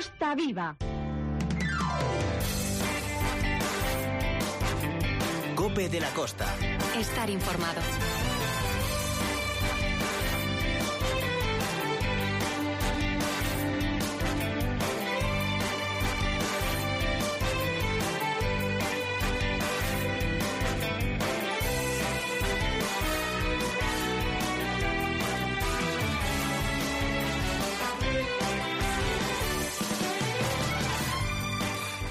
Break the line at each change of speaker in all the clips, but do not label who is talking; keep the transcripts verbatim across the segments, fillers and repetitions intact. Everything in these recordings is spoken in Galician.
Costa Viva.
COPE de la Costa.
Estar informado.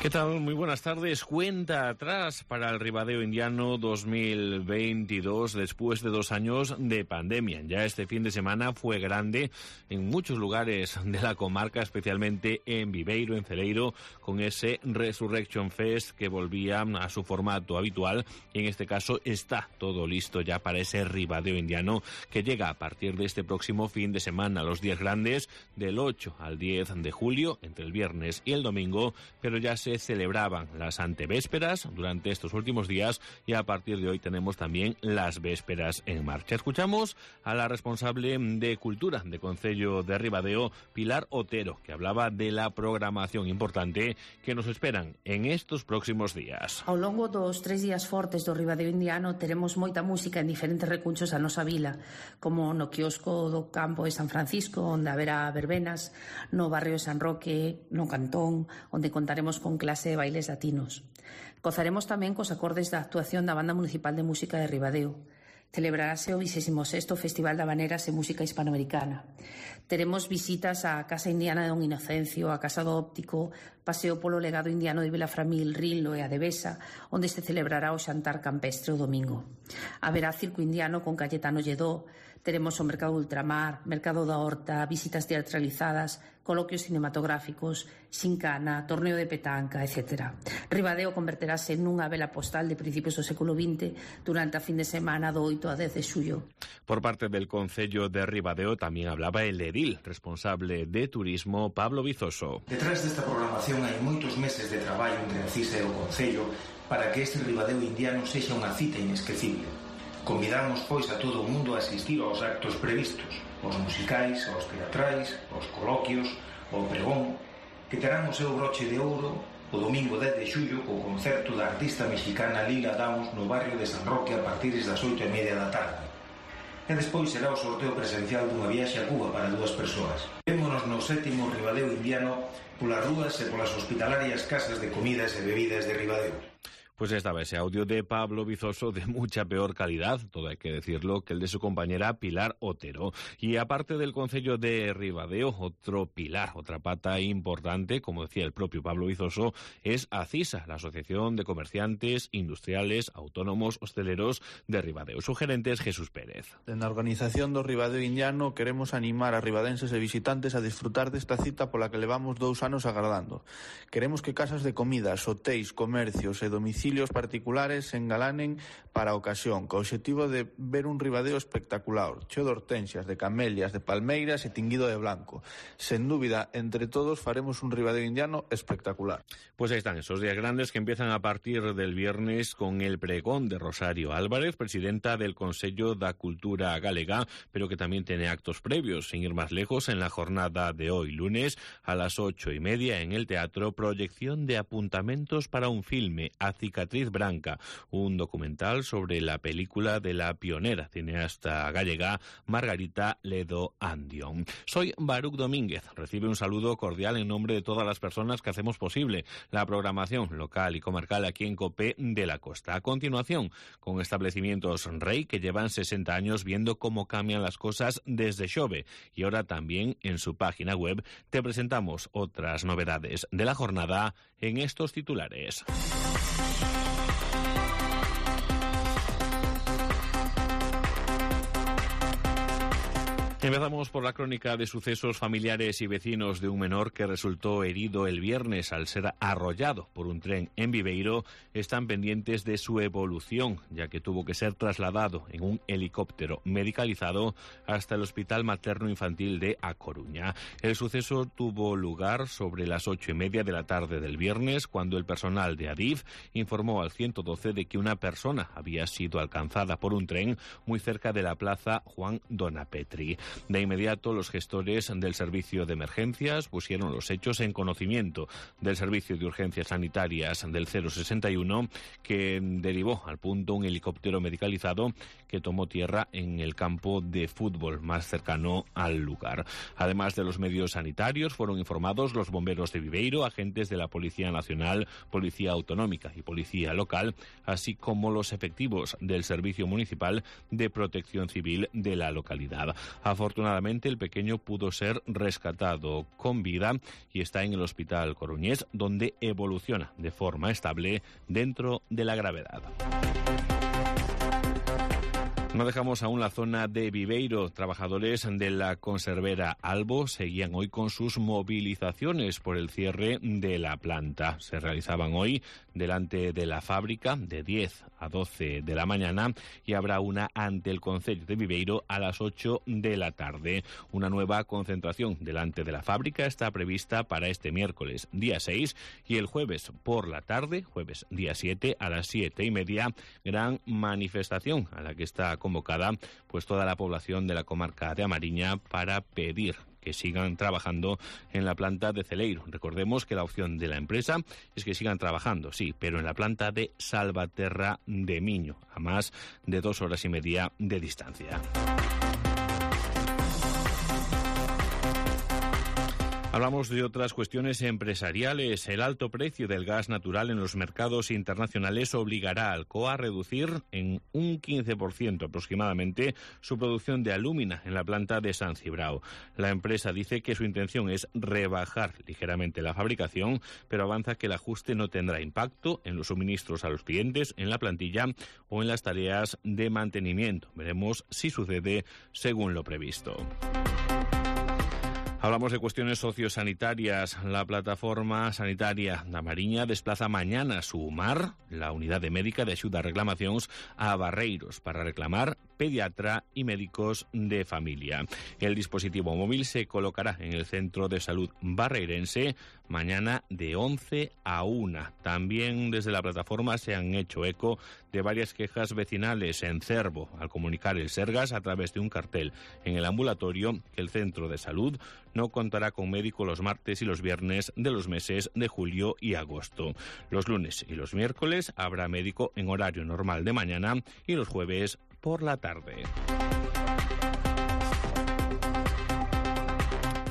¿Qué tal? Muy buenas tardes. Cuenta atrás para el Ribadeo Indiano dos mil veintidós después de dos años de pandemia. Ya este fin de semana fue grande en muchos lugares de la comarca, especialmente en Viveiro, en Celeiro, con ese Resurrection Fest que volvía a su formato habitual. Y en este caso está todo listo ya para ese Ribadeo Indiano que llega a partir de este próximo fin de semana. Los días grandes del ocho al diez de julio, entre el viernes y el domingo, pero ya se celebraban las antevésperas durante estos últimos días y a partir de hoy tenemos también las vésperaas en marcha. Escuchamos a la responsable de Cultura de Concello de Ribadeo, Pilar Otero, que hablaba de la programación importante que nos esperan en estos próximos días.
Ao longo dos tres días fortes do Ribadeo Indiano teremos moita música en diferentes recunchos a nosa vila, como no quiosco do campo de San Francisco, onde haberá verbenas, no barrio de San Roque, no Cantón, onde contaremos con clase de bailes latinos. Gozaremos tamén cos acordes da actuación da Banda Municipal de Música de Ribadeo. Celebrarase o vigésimo sexto Festival de Habaneras e Música Hispanoamericana. Teremos visitas á Casa Indiana de Don Inocencio, á Casa do Óptico, paseo polo legado indiano de Vilaframil, Rinlo e a Devesa, onde se celebrará o xantar campestre o domingo. Haberá circo indiano con Cayetano Lledó, teremos o Mercado Ultramar, Mercado da Horta, visitas teatralizadas, coloquios cinematográficos, xincana, torneo de petanca, etcétera. Ribadeo converterase nunha vela postal de principios do século vinte durante a fin de semana do oito a dez de xullo.
Por parte del Concello de Ribadeo también hablaba el edil responsable de turismo, Pablo Vizoso.
Detrás desta programación hai moitos meses de traballo entre a CISA e o Concello para que este Ribadeo Indiano sexa unha cita inesquecible. Convidamos, pois, a todo o mundo a asistir aos actos previstos, os musicais, aos teatrais, aos coloquios, ao pregón, que terán o seu broche de ouro o domingo dez de xullo co concerto da artista mexicana Lila Downs no barrio de San Roque a partir das oito e media da tarde. E despois será o sorteo presencial dunha viaxe a Cuba para dúas persoas. Vémonos no sétimo Ribadeo Indiano polas rúas e polas hospitalarias casas de comidas e bebidas de Ribadeo.
Pues estaba ese audio de Pablo Vizoso de mucha peor calidad, todo hay que decirlo, que el de su compañera Pilar Otero. Y aparte del Concello de Ribadeo, otro pilar, otra pata importante, como decía el propio Pablo Vizoso, es ACISA, la Asociación de Comerciantes, Industriales, Autónomos, Hosteleros de Ribadeo. Su gerente es Jesús Pérez.
En la organización do Ribadeo Indiano queremos animar a ribadenses e visitantes a disfrutar desta cita pola que levamos dous anos agardando. Queremos que casas de comidas, hotéis, comercios e domicilios particulares se engalanen para a ocasión, co obxectivo de ver un Ribadeo espectacular, cheo de hortensias, de camelias, de palmeiras e tinguido de blanco. Sen dúbida, entre todos faremos un Ribadeo Indiano espectacular.
Pues ahí están esos días grandes que empiezan a partir del viernes con el pregón de Rosario Álvarez, presidenta del Consello da Cultura Galega, pero que también tiene actos previos, sin ir más lejos, en la jornada de hoy, lunes, a las ocho y media, en el teatro, proyección de apuntamentos para un filme, Cicatriz Branca, un documental sobre la película de la pionera cineasta gallega Margarita Ledo Andión. Soy Baruch Domínguez, recibe un saludo cordial en nombre de todas las personas que hacemos posible la programación local y comarcal aquí en COPE de la Costa. A continuación, con establecimientos Rey que llevan sesenta años viendo cómo cambian las cosas desde Xove, y ahora también en su página web te presentamos otras novedades de la jornada en estos titulares. Empezamos por la crónica de sucesos familiares y vecinos de un menor que resultó herido el viernes al ser arrollado por un tren en Viveiro. Están pendientes de su evolución, ya que tuvo que ser trasladado en un helicóptero medicalizado hasta el Hospital Materno Infantil de A Coruña. El suceso tuvo lugar sobre las ocho y media de la tarde del viernes, cuando el personal de Adif informó al ciento doce de que una persona había sido alcanzada por un tren muy cerca de la plaza Juan Donapetri. De inmediato, los gestores del servicio de emergencias pusieron los hechos en conocimiento del servicio de urgencias sanitarias del cero sesenta y uno, que derivó al punto un helicóptero medicalizado que tomó tierra en el campo de fútbol más cercano al lugar. Además de los medios sanitarios, fueron informados los bomberos de Viveiro, agentes de la Policía Nacional, Policía Autonómica y Policía Local, así como los efectivos del Servicio Municipal de Protección Civil de la localidad. Afortunadamente, el pequeño pudo ser rescatado con vida y está en el Hospital Coruñés, donde evoluciona de forma estable dentro de la gravedad. No dejamos aún la zona de Viveiro. Trabajadores de la conservera Albo seguían hoy con sus movilizaciones por el cierre de la planta. Se realizaban hoy delante de la fábrica de diez a doce de la mañana y habrá una ante el concello de Viveiro a las ocho de la tarde. Una nueva concentración delante de la fábrica está prevista para este miércoles día seis y el jueves por la tarde, jueves día siete a las siete y media, gran manifestación a la que está convocada pues toda la población de la comarca de Amariña para pedir que sigan trabajando en la planta de Celeiro. Recordemos que la opción de la empresa es que sigan trabajando, sí, pero en la planta de Salvaterra de Miño, a más de dos horas y media de distancia. Hablamos de otras cuestiones empresariales. El alto precio del gas natural en los mercados internacionales obligará a Alcoa a reducir en un quince por ciento aproximadamente su producción de alúmina en la planta de San Cibrao. La empresa dice que su intención es rebajar ligeramente la fabricación, pero avanza que el ajuste no tendrá impacto en los suministros a los clientes, en la plantilla o en las tareas de mantenimiento. Veremos si sucede según lo previsto. Hablamos de cuestiones sociosanitarias. La plataforma sanitaria da Mariña desplaza mañana su UMAR, la unidade médica de axuda a reclamacións, a Barreiros para reclamar pediatra y médicos de familia. El dispositivo móvil se colocará en el Centro de Salud Barreirense mañana de once a una. También desde la plataforma se han hecho eco de varias quejas vecinales en Cervo, al comunicar el Sergas a través de un cartel en el ambulatorio que el Centro de Salud no contará con médico los martes y los viernes de los meses de julio y agosto. Los lunes y los miércoles habrá médico en horario normal de mañana y los jueves por la tarde.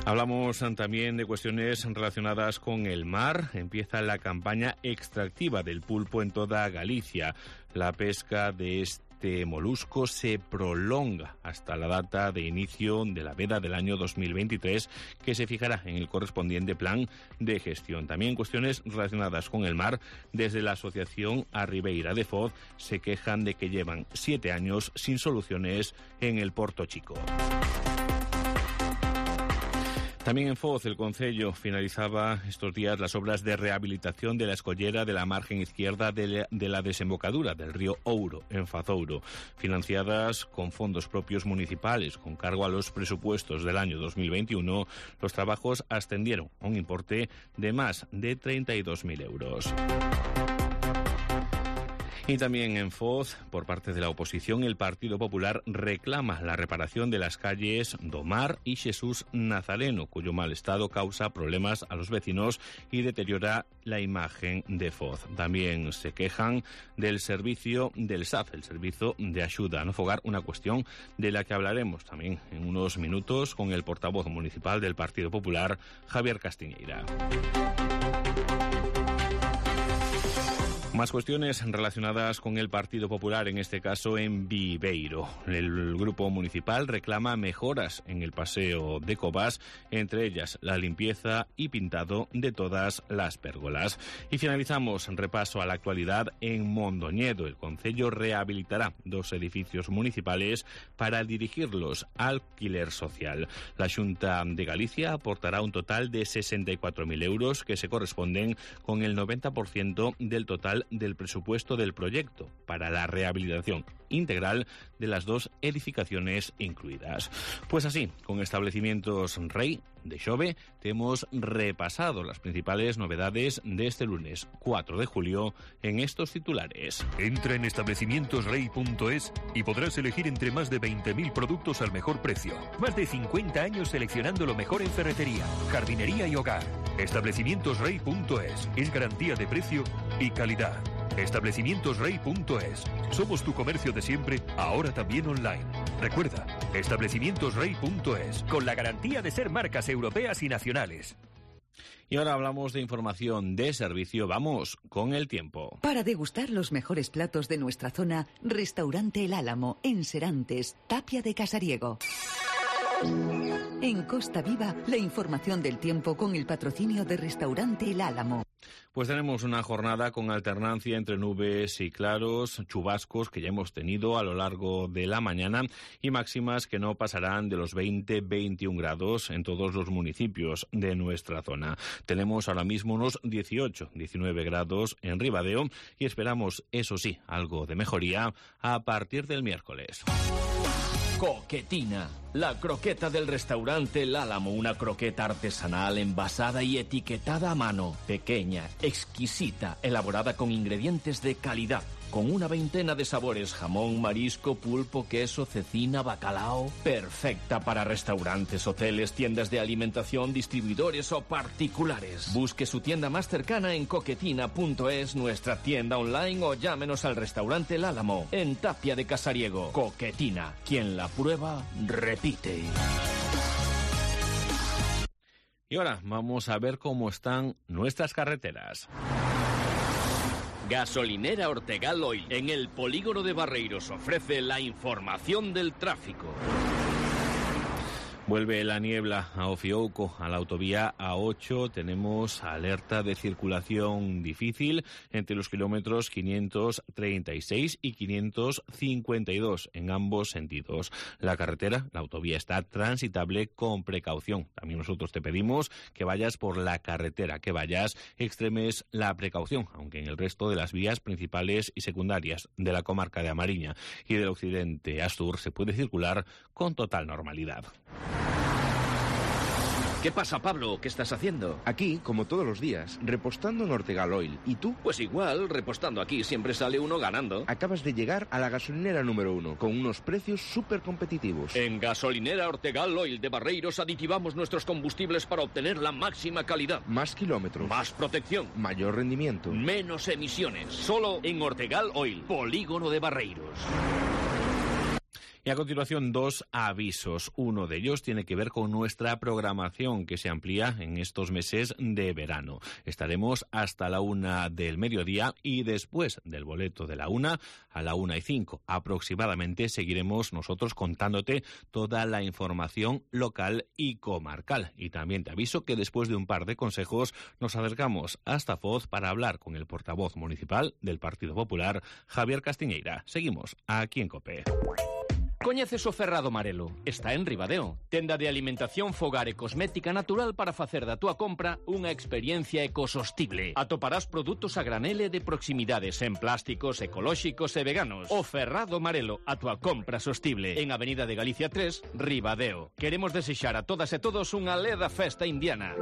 Hablamos también de cuestiones relacionadas con el mar. Empieza la campaña extractiva del pulpo en toda Galicia. La pesca de este Este molusco se prolonga hasta la data de inicio de la veda del año dos mil veintitrés, que se fijará en el correspondiente plan de gestión. También cuestiones relacionadas con el mar. Desde la asociación Arribeira de Foz se quejan de que llevan siete años sin soluciones en el Porto Chico. También en Foz, el concello finalizaba estos días las obras de rehabilitación de la escollera de la margen izquierda de la, de la desembocadura del río Ouro, en Fazouro, financiadas con fondos propios municipales con cargo a los presupuestos del año dos mil veintiuno. Los trabajos ascendieron a un importe de más de treinta y dos mil euros. Y también en Foz, por parte de la oposición, el Partido Popular reclama la reparación de las calles Domar y Jesús Nazareno, cuyo mal estado causa problemas a los vecinos y deteriora la imagen de Foz. También se quejan del servicio del S A F, el Servicio de Ayuda a No Fogar, una cuestión de la que hablaremos también en unos minutos con el portavoz municipal del Partido Popular, Javier Castiñeira. Más cuestiones relacionadas con el Partido Popular, en este caso en Viveiro. El grupo municipal reclama mejoras en el paseo de Cobás, entre ellas la limpieza y pintado de todas las pérgolas. Y finalizamos repaso a la actualidad en Mondoñedo. El concello rehabilitará dos edificios municipales para dirigirlos al alquiler social. La Xunta de Galicia aportará un total de sesenta y cuatro mil euros que se corresponden con el noventa por ciento del total del presupuesto del proyecto para la rehabilitación integral de las dos edificaciones incluidas. Pues así, con Establecimientos Rey de Xove, te hemos repasado las principales novedades de este lunes cuatro de julio en estos titulares.
Entra en establecimientos rey punto es y podrás elegir entre más de veinte mil productos al mejor precio. Más de cincuenta años seleccionando lo mejor en ferretería, jardinería y hogar. establecimientos rey punto es es garantía de precio y calidad. establecimientos rey punto es. Somos tu comercio de siempre, ahora también online. Recuerda, establecimientos rey punto es, con la garantía de ser marcas europeas y nacionales.
Y ahora hablamos de información de servicio. Vamos con el tiempo.
Para degustar los mejores platos de nuestra zona, Restaurante El Álamo, en Serantes, Tapia de Casariego. En Costa Viva, la información del tiempo con el patrocinio de Restaurante El Álamo.
Pues tenemos una jornada con alternancia entre nubes y claros, chubascos que ya hemos tenido a lo largo de la mañana y máximas que no pasarán de los veinte a veintiún grados en todos los municipios de nuestra zona. Tenemos ahora mismo unos dieciocho a diecinueve grados en Ribadeo y esperamos, eso sí, algo de mejoría a partir del miércoles.
Coquetina, la croqueta del restaurante El Álamo, una croqueta artesanal envasada y etiquetada a mano, pequeña, exquisita, elaborada con ingredientes de calidad, con una veintena de sabores, jamón, marisco, pulpo, queso, cecina, bacalao, perfecta para restaurantes, hoteles, tiendas de alimentación, distribuidores o particulares. Busque su tienda más cercana en coquetina punto es, nuestra tienda online o llámenos al restaurante El Álamo, en Tapia de Casariego. Coquetina, quien la prueba, repite.
Y ahora vamos a ver cómo están nuestras carreteras.
Gasolinera Ortegal Oil, en el polígono de Barreiros, ofrece la información del tráfico.
Vuelve la niebla a Ofiouco, a la autovía A ocho. Tenemos alerta de circulación difícil entre los kilómetros quinientos treinta y seis y quinientos cincuenta y dos en ambos sentidos. La carretera, la autovía, está transitable con precaución. También nosotros te pedimos que vayas por la carretera, que vayas, extremes la precaución, aunque en el resto de las vías principales y secundarias de la comarca de Amariña y del occidente a sur se puede circular con total normalidad.
¿Qué pasa, Pablo? ¿Qué estás haciendo?
Aquí, como todos los días, repostando en Ortegal Oil. ¿Y tú?
Pues igual, repostando aquí siempre sale uno ganando.
Acabas de llegar a la gasolinera número uno, con unos precios súper competitivos.
En Gasolinera Ortegal Oil de Barreiros aditivamos nuestros combustibles para obtener la máxima calidad.
Más kilómetros.
Más protección.
Mayor rendimiento.
Menos emisiones. Solo en Ortegal Oil, polígono de Barreiros.
Y a continuación, dos avisos. Uno de ellos tiene que ver con nuestra programación, que se amplía en estos meses de verano. Estaremos hasta la una del mediodía y después del boleto de la una, a la una y cinco aproximadamente, seguiremos nosotros contándote toda la información local y comarcal. Y también te aviso que después de un par de consejos nos acercamos hasta Foz para hablar con el portavoz municipal del Partido Popular, Javier Castiñeira. Seguimos aquí en COPE.
Coñeces o Ferrado Marelo? Está en Ribadeo. Tenda de alimentación, fogar e cosmética natural para facer da túa compra unha experiencia ecosostible. Atoparás produtos a granel e de proximidades en plásticos, ecolóxicos e veganos. O Ferrado Marelo, a túa compra sostible. En Avenida de Galicia tres, Ribadeo. Queremos desexar a todas e todos unha leda festa indiana.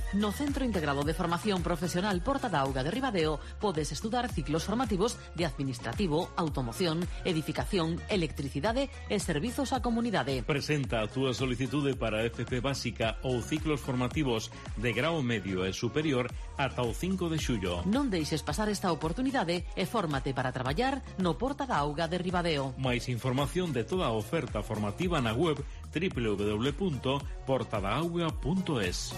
No Centro Integrado de Formación Profesional Porta da Auga de Ribadeo podes estudar ciclos formativos de Administrativo, Automoción, Edificación, Electricidade e Servizos á Comunidade.
Presenta a túa solicitude para F P básica ou ciclos formativos de grao medio e superior ata o cinco de xullo.
Non deixes pasar esta oportunidade e fórmate para traballar no Porta da Auga de Ribadeo.
Mais información de toda a oferta formativa na web doble u doble u doble u punto porta da auga punto es.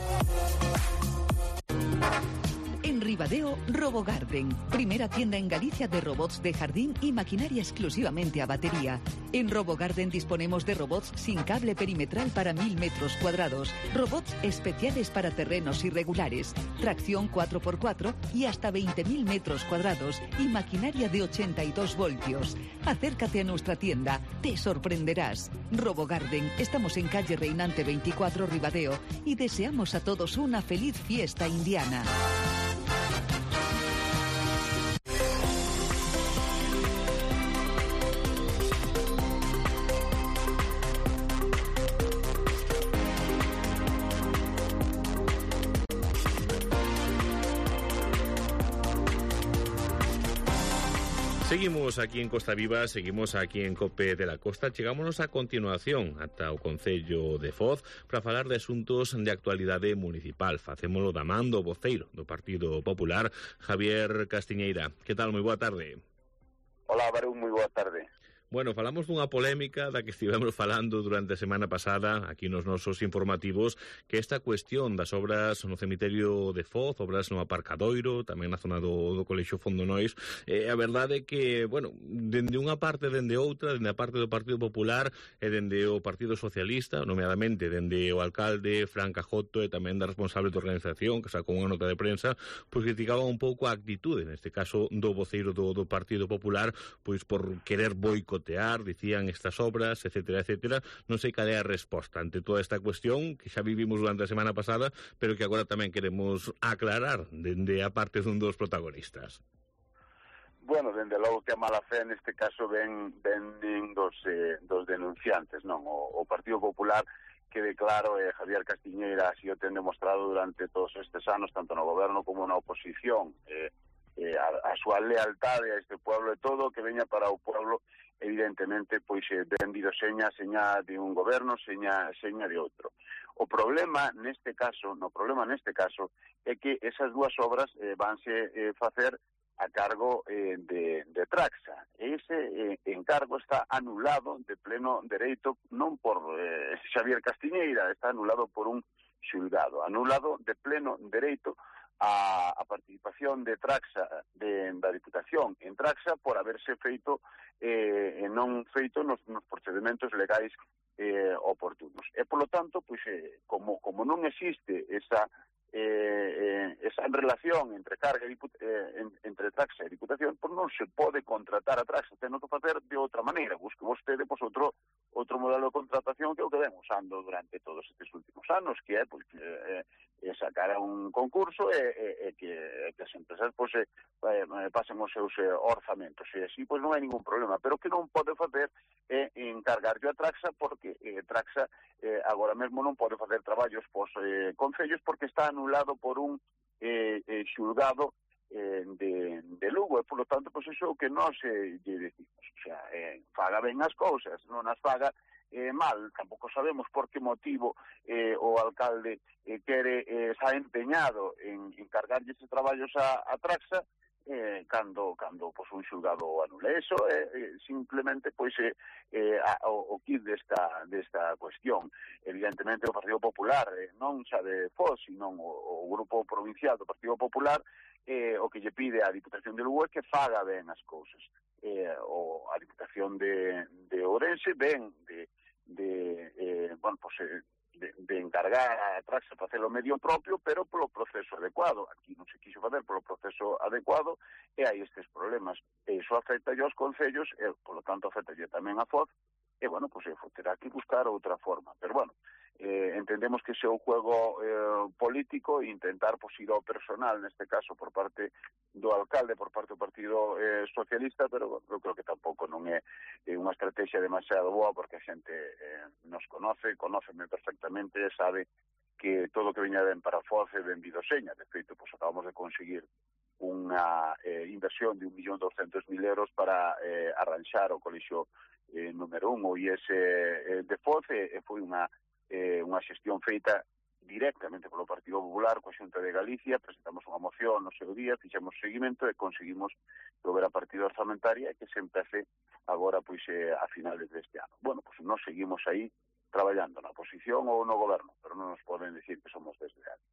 En Ribadeo, RoboGarden, primera tienda en Galicia de robots de jardín y maquinaria exclusivamente a batería. En RoboGarden disponemos de robots sin cable perimetral para mil metros cuadrados, robots especiales para terrenos irregulares, tracción cuatro por cuatro y hasta veinte mil metros cuadrados y maquinaria de ochenta y dos voltios. Acércate a nuestra tienda, te sorprenderás. RoboGarden, estamos en calle Reinante veinticuatro, Ribadeo, y deseamos a todos una feliz fiesta indiana.
Seguimos aquí en Costa Viva, seguimos aquí en COPE de la Costa. Chegámonos a continuación ata o Concello de Foz para falar de asuntos de actualidade municipal. Facémolo da man do voceiro do Partido Popular, Javier Castiñeira. Que tal? Moi boa tarde.
Hola, Barón, moi boa tarde.
Bueno, falamos dunha polémica da que estivemos falando durante a semana pasada aquí nos nosos informativos, que esta cuestión das obras no cemiterio de Foz, obras no aparcadoiro, tamén na zona do, do Colexio Fondonois, eh, a verdade é que, bueno, dende unha parte dende outra, dende a parte do Partido Popular e dende o Partido Socialista, nomeadamente dende o alcalde Fran Cajoto e tamén da responsable da organización, que sacou unha nota de prensa, pois criticaban un pouco a actitude, neste caso do voceiro do, do Partido Popular, pois por querer boicotear, dicían estas obras, etcétera, etcétera. Non sei cal é a resposta ante toda esta cuestión que xa vivimos durante a semana pasada, pero que agora tamén queremos aclarar dende a parte dun dos protagonistas.
Bueno, dende logo que a mala fe neste caso ven, ven dos, eh, dos denunciantes, non? O, o Partido Popular que declaro eh, Javier Castiñeira así o ten demostrado durante todos estes anos, tanto no goberno como na oposición, eh, eh, a, a súa lealtade a este pueblo e todo que veña para o pueblo, evidentemente, pois eh, vendido seña, seña de un goberno, seña, seña de outro. O problema neste caso, no problema neste caso, é que esas dúas obras eh, vanse eh, facer a cargo eh, de, de Traxa. Ese eh, encargo está anulado de pleno dereito, non por eh, Xavier Castiñeira, está anulado por un xulgado, anulado de pleno dereito a, a participación de Traxa, de, da Diputación en Traxa, por haberse feito eh, non feito nos, nos procedementos legais eh, oportunos. E, polo tanto, pois, eh, como, como non existe esa eh, eh, esa relación entre carga e eh, en, entre Traxa e Diputación, pois non se pode contratar a Traxa, teno que facer de outra maneira. Busque vostede pois, outro, outro modelo de contratación que é o que ven usando durante todos estes últimos anos, que é pois, eh, eh, sacar a un concurso e, e, e que, e que as empresas pois, eh, pasen os seus eh, orzamentos. E así pois, non hai ningún problema, pero que non pode facer é eh, encargarlle a Traxa, porque eh, Traxa eh, agora mesmo non pode facer traballos pos eh, concellos porque está anulado por un eh, eh, xulgado eh, de, de Lugo, e polo tanto, pois iso que nós eh, lle decimos, o sea, eh, faga ben as cousas, non as faga eh, mal. Tampouco sabemos por que motivo eh, o alcalde eh, quere, eh, está empeñado en encargarlle estes traballos a, a Traxa, eh, cando, cando pois, un xulgado anule. Eso é eh, simplemente pois, eh, eh, a, o, o kit desta, desta cuestión. Evidentemente o Partido Popular, eh, non xa de Foz, sino o, o Grupo Provincial do Partido Popular, eh, o que lle pide á Diputación de Lugo é que faga ben as cousas. Eh, o, a Diputación de, de Ourense ven de, de eh, bueno, pois, eh, De, de encargar a Traxa para hacer o medio propio, pero polo proceso adecuado. Aquí non se quiso fazer polo proceso adecuado e hai estes problemas. E iso afecta aos concellos e, polo tanto, afecta tamén a Foz e, bueno, pois pues, terá que buscar outra forma. Pero, bueno, eh, entendemos que ese é un juego eh, político e intentar pues, ir ao personal, neste caso, por parte do alcalde, por parte do Partido eh, Socialista, pero bueno, eu creo que tampouco non é eh, unha estrategia demasiado boa, porque a xente eh, nos conoce, conóceme perfectamente e sabe que todo o que veña ben para Foz é benvido seña. De feito, pues, acabamos de conseguir unha eh, inversión de un millón doscientos mil euros para eh, arranxar o colexio eh, número un, o I S eh, de Foz, e, e foi unha eh, unha xestión feita directamente polo Partido Popular coa Xunta de Galicia. Presentamos unha moción no seu día, fixemos seguimento e conseguimos prover a partida orzamentaria e que se empece agora pois eh, a finales deste ano. Bueno, pois nós seguimos aí traballando na oposición ou no goberno, pero non nos poden decir que somos desleales.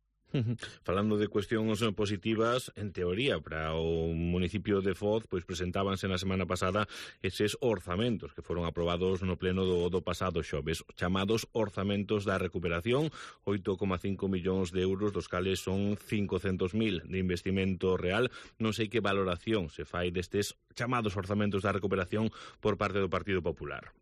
Falando de cuestións positivas, en teoría, para o municipio de Foz, pois presentábanse na semana pasada eses orzamentos que foron aprobados no pleno do, do pasado xoves, chamados orzamentos da recuperación, oito coma cinco millóns de euros, dos cales son cincocentos mil de investimento real. Non sei que valoración se fai destes chamados orzamentos da recuperación por parte do Partido Popular.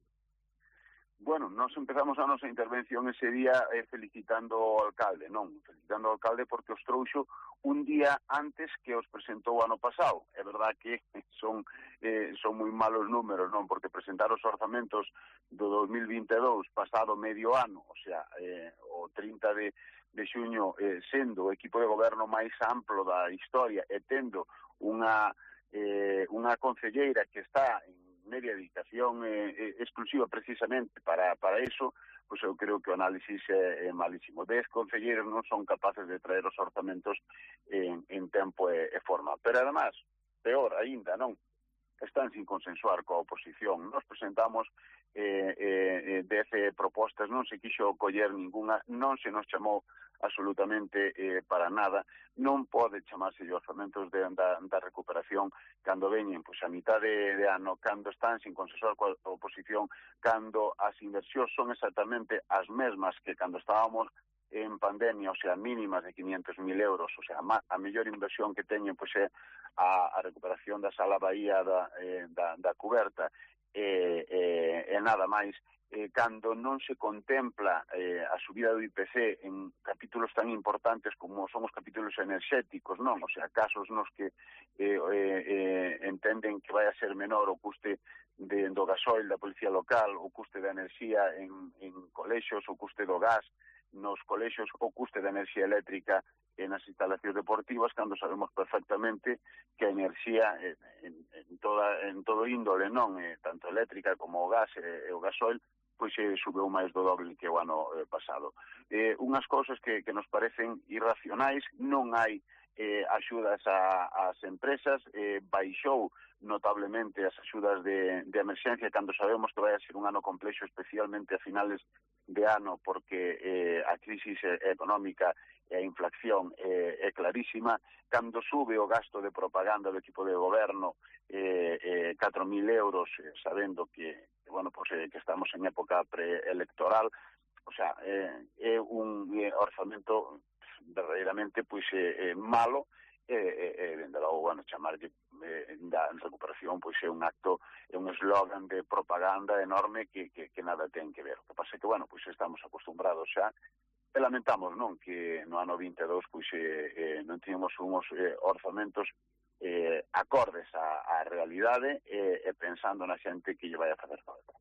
Bueno, nós empezamos a nosa intervención ese día eh, felicitando ao alcalde, non, felicitando ao alcalde porque os trouxo un día antes que os presentou o ano pasado. É verdad que son eh, son moi malos números, non, porque presentar os orzamentos do dos mil vinte e dous pasado medio ano, o sea, eh, o trinta de, de xuño, eh, sendo o equipo de goberno máis amplo da historia e tendo unha eh, unha concelleira que está en media dedicación eh, exclusiva precisamente para, para eso, pois eu creo que o análisis é, é malísimo. Dez concelleiros non son capaces de traer os orzamentos en, en tempo e, e forma. Pero, además, peor aínda, non? Están sin consensuar coa oposición. Nos presentamos eh, eh, dez propostas, non se quixo coller ninguna, non se nos chamou absolutamente eh, para nada. Non pode chamarse de orzamentos de, da, da recuperación cando veñen pois, a mitad de, de ano, cando están sin consensuar coa oposición, cando as inversións son exactamente as mesmas que cando estábamos en pandemia, o sea, mínimas de quinientos mil euros, o sea, a mellor inversión que teñen pois, é a, a recuperación da sala Bahía da, eh, da, da cuberta e eh, eh, nada máis. Eh, cando non se contempla eh, a subida do I P C en capítulos tan importantes como son os capítulos enerxéticos, non? O sea, casos nos que eh, eh, eh, entenden que vai a ser menor o custe de, do gasoil da policía local, o custe da enerxía en, en colexios, o custe do gas nos colexios, o custe da enerxía eléctrica en as instalacións deportivas, cando sabemos perfectamente que a enerxía en, en, en, toda, en todo índole, non? Eh, tanto eléctrica como o gas e, e o gasoil, pois eh, subeu máis do doble que o ano eh, pasado. Eh, unhas cousas que, que nos parecen irracionais, non hai eh, axudas a, ás empresas, eh, baixou notablemente as axudas de, de emerxencia cando sabemos que vai a ser un ano complexo, especialmente a finales de ano, porque eh, a crisis económica e a inflación eh, é clarísima. Cando sube o gasto de propaganda do equipo de goberno eh, eh, catro mil euros, eh, sabendo que, bueno, pues, eh, que estamos en época preelectoral, o sea, eh, é un eh, orzamento verdadeiramente pois, eh, eh, malo, e, eh, eh, dende logo, bueno, chamarlle eh, da recuperación, pois é un acto, é un eslogan de propaganda enorme que, que, que nada ten que ver. O que pasa é que, bueno, pois estamos acostumbrados xa, e lamentamos, non, que no ano vinte e dous, pois, eh, eh, non tínhamos unhos eh, orzamentos eh, acordes á, á realidade e eh, pensando na xente que lle vai a facer falta.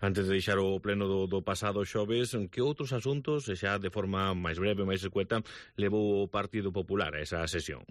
Antes de deixar o pleno do, do pasado xoves, que outros asuntos, e xa de forma máis breve, máis escueta, levou o Partido Popular a esa sesión?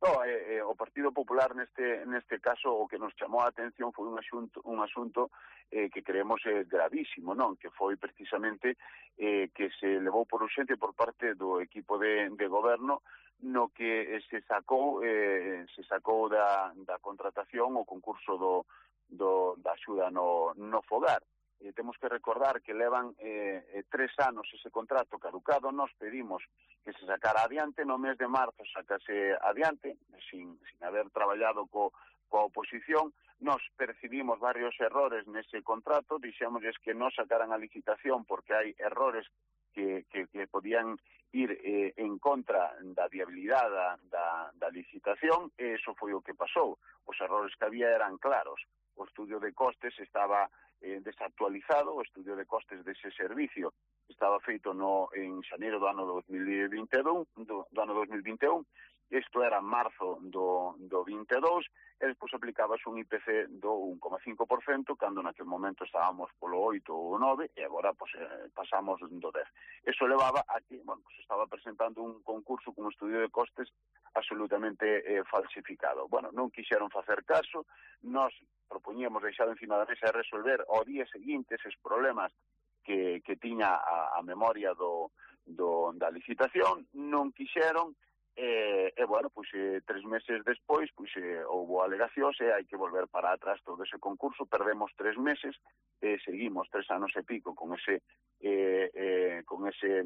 No, eh, eh, o Partido Popular neste neste caso o que nos chamou a atención foi un asunto un asunto eh, que creemos eh, gravísimo, non? Que foi precisamente eh, que se levou por urxente por parte do equipo de, de goberno, no que eh, se sacou eh, se sacou da, da contratación o concurso do, do da axuda no, no fogar. Eh, temos que recordar que levan eh, eh, tres anos ese contrato caducado. Nos pedimos que se sacara adiante, no mes de marzo sacase adiante, sin, sin haber traballado co, coa oposición. Nos percibimos varios errores nese contrato, dixémosles que non sacaran a licitación porque hai errores que, que, que podían ir eh, en contra da viabilidade da, da, da licitación, e iso foi o que pasou. Os errores que había eran claros. O estudio de costes estaba eh, desactualizado, o estudio de costes dese servicio estaba feito no en xaneiro do ano dos mil vinte e un, do, do ano dos mil vinte e un, isto era marzo do, do vinte e dous, e despois aplicabas un I P C do un coma cinco por cento, cando naquele momento estábamos polo oito ou nove, e agora pues, eh, pasamos do dez. Eso levaba a que, bueno, pues, estaba presentando un concurso con un estudio de costes absolutamente eh, falsificado. Bueno, non quixeron facer caso, nós propoñíamos deixar encima da mesa e resolver ao día seguinte eses problemas que, que tiña a, a memoria do, do, da licitación, non quixeron, e, e bueno, pois, eh, tres meses despois, pois, eh, houve alegacións e hai que volver para atrás todo ese concurso. Perdemos tres meses, e seguimos tres anos e pico con ese, eh, eh, con ese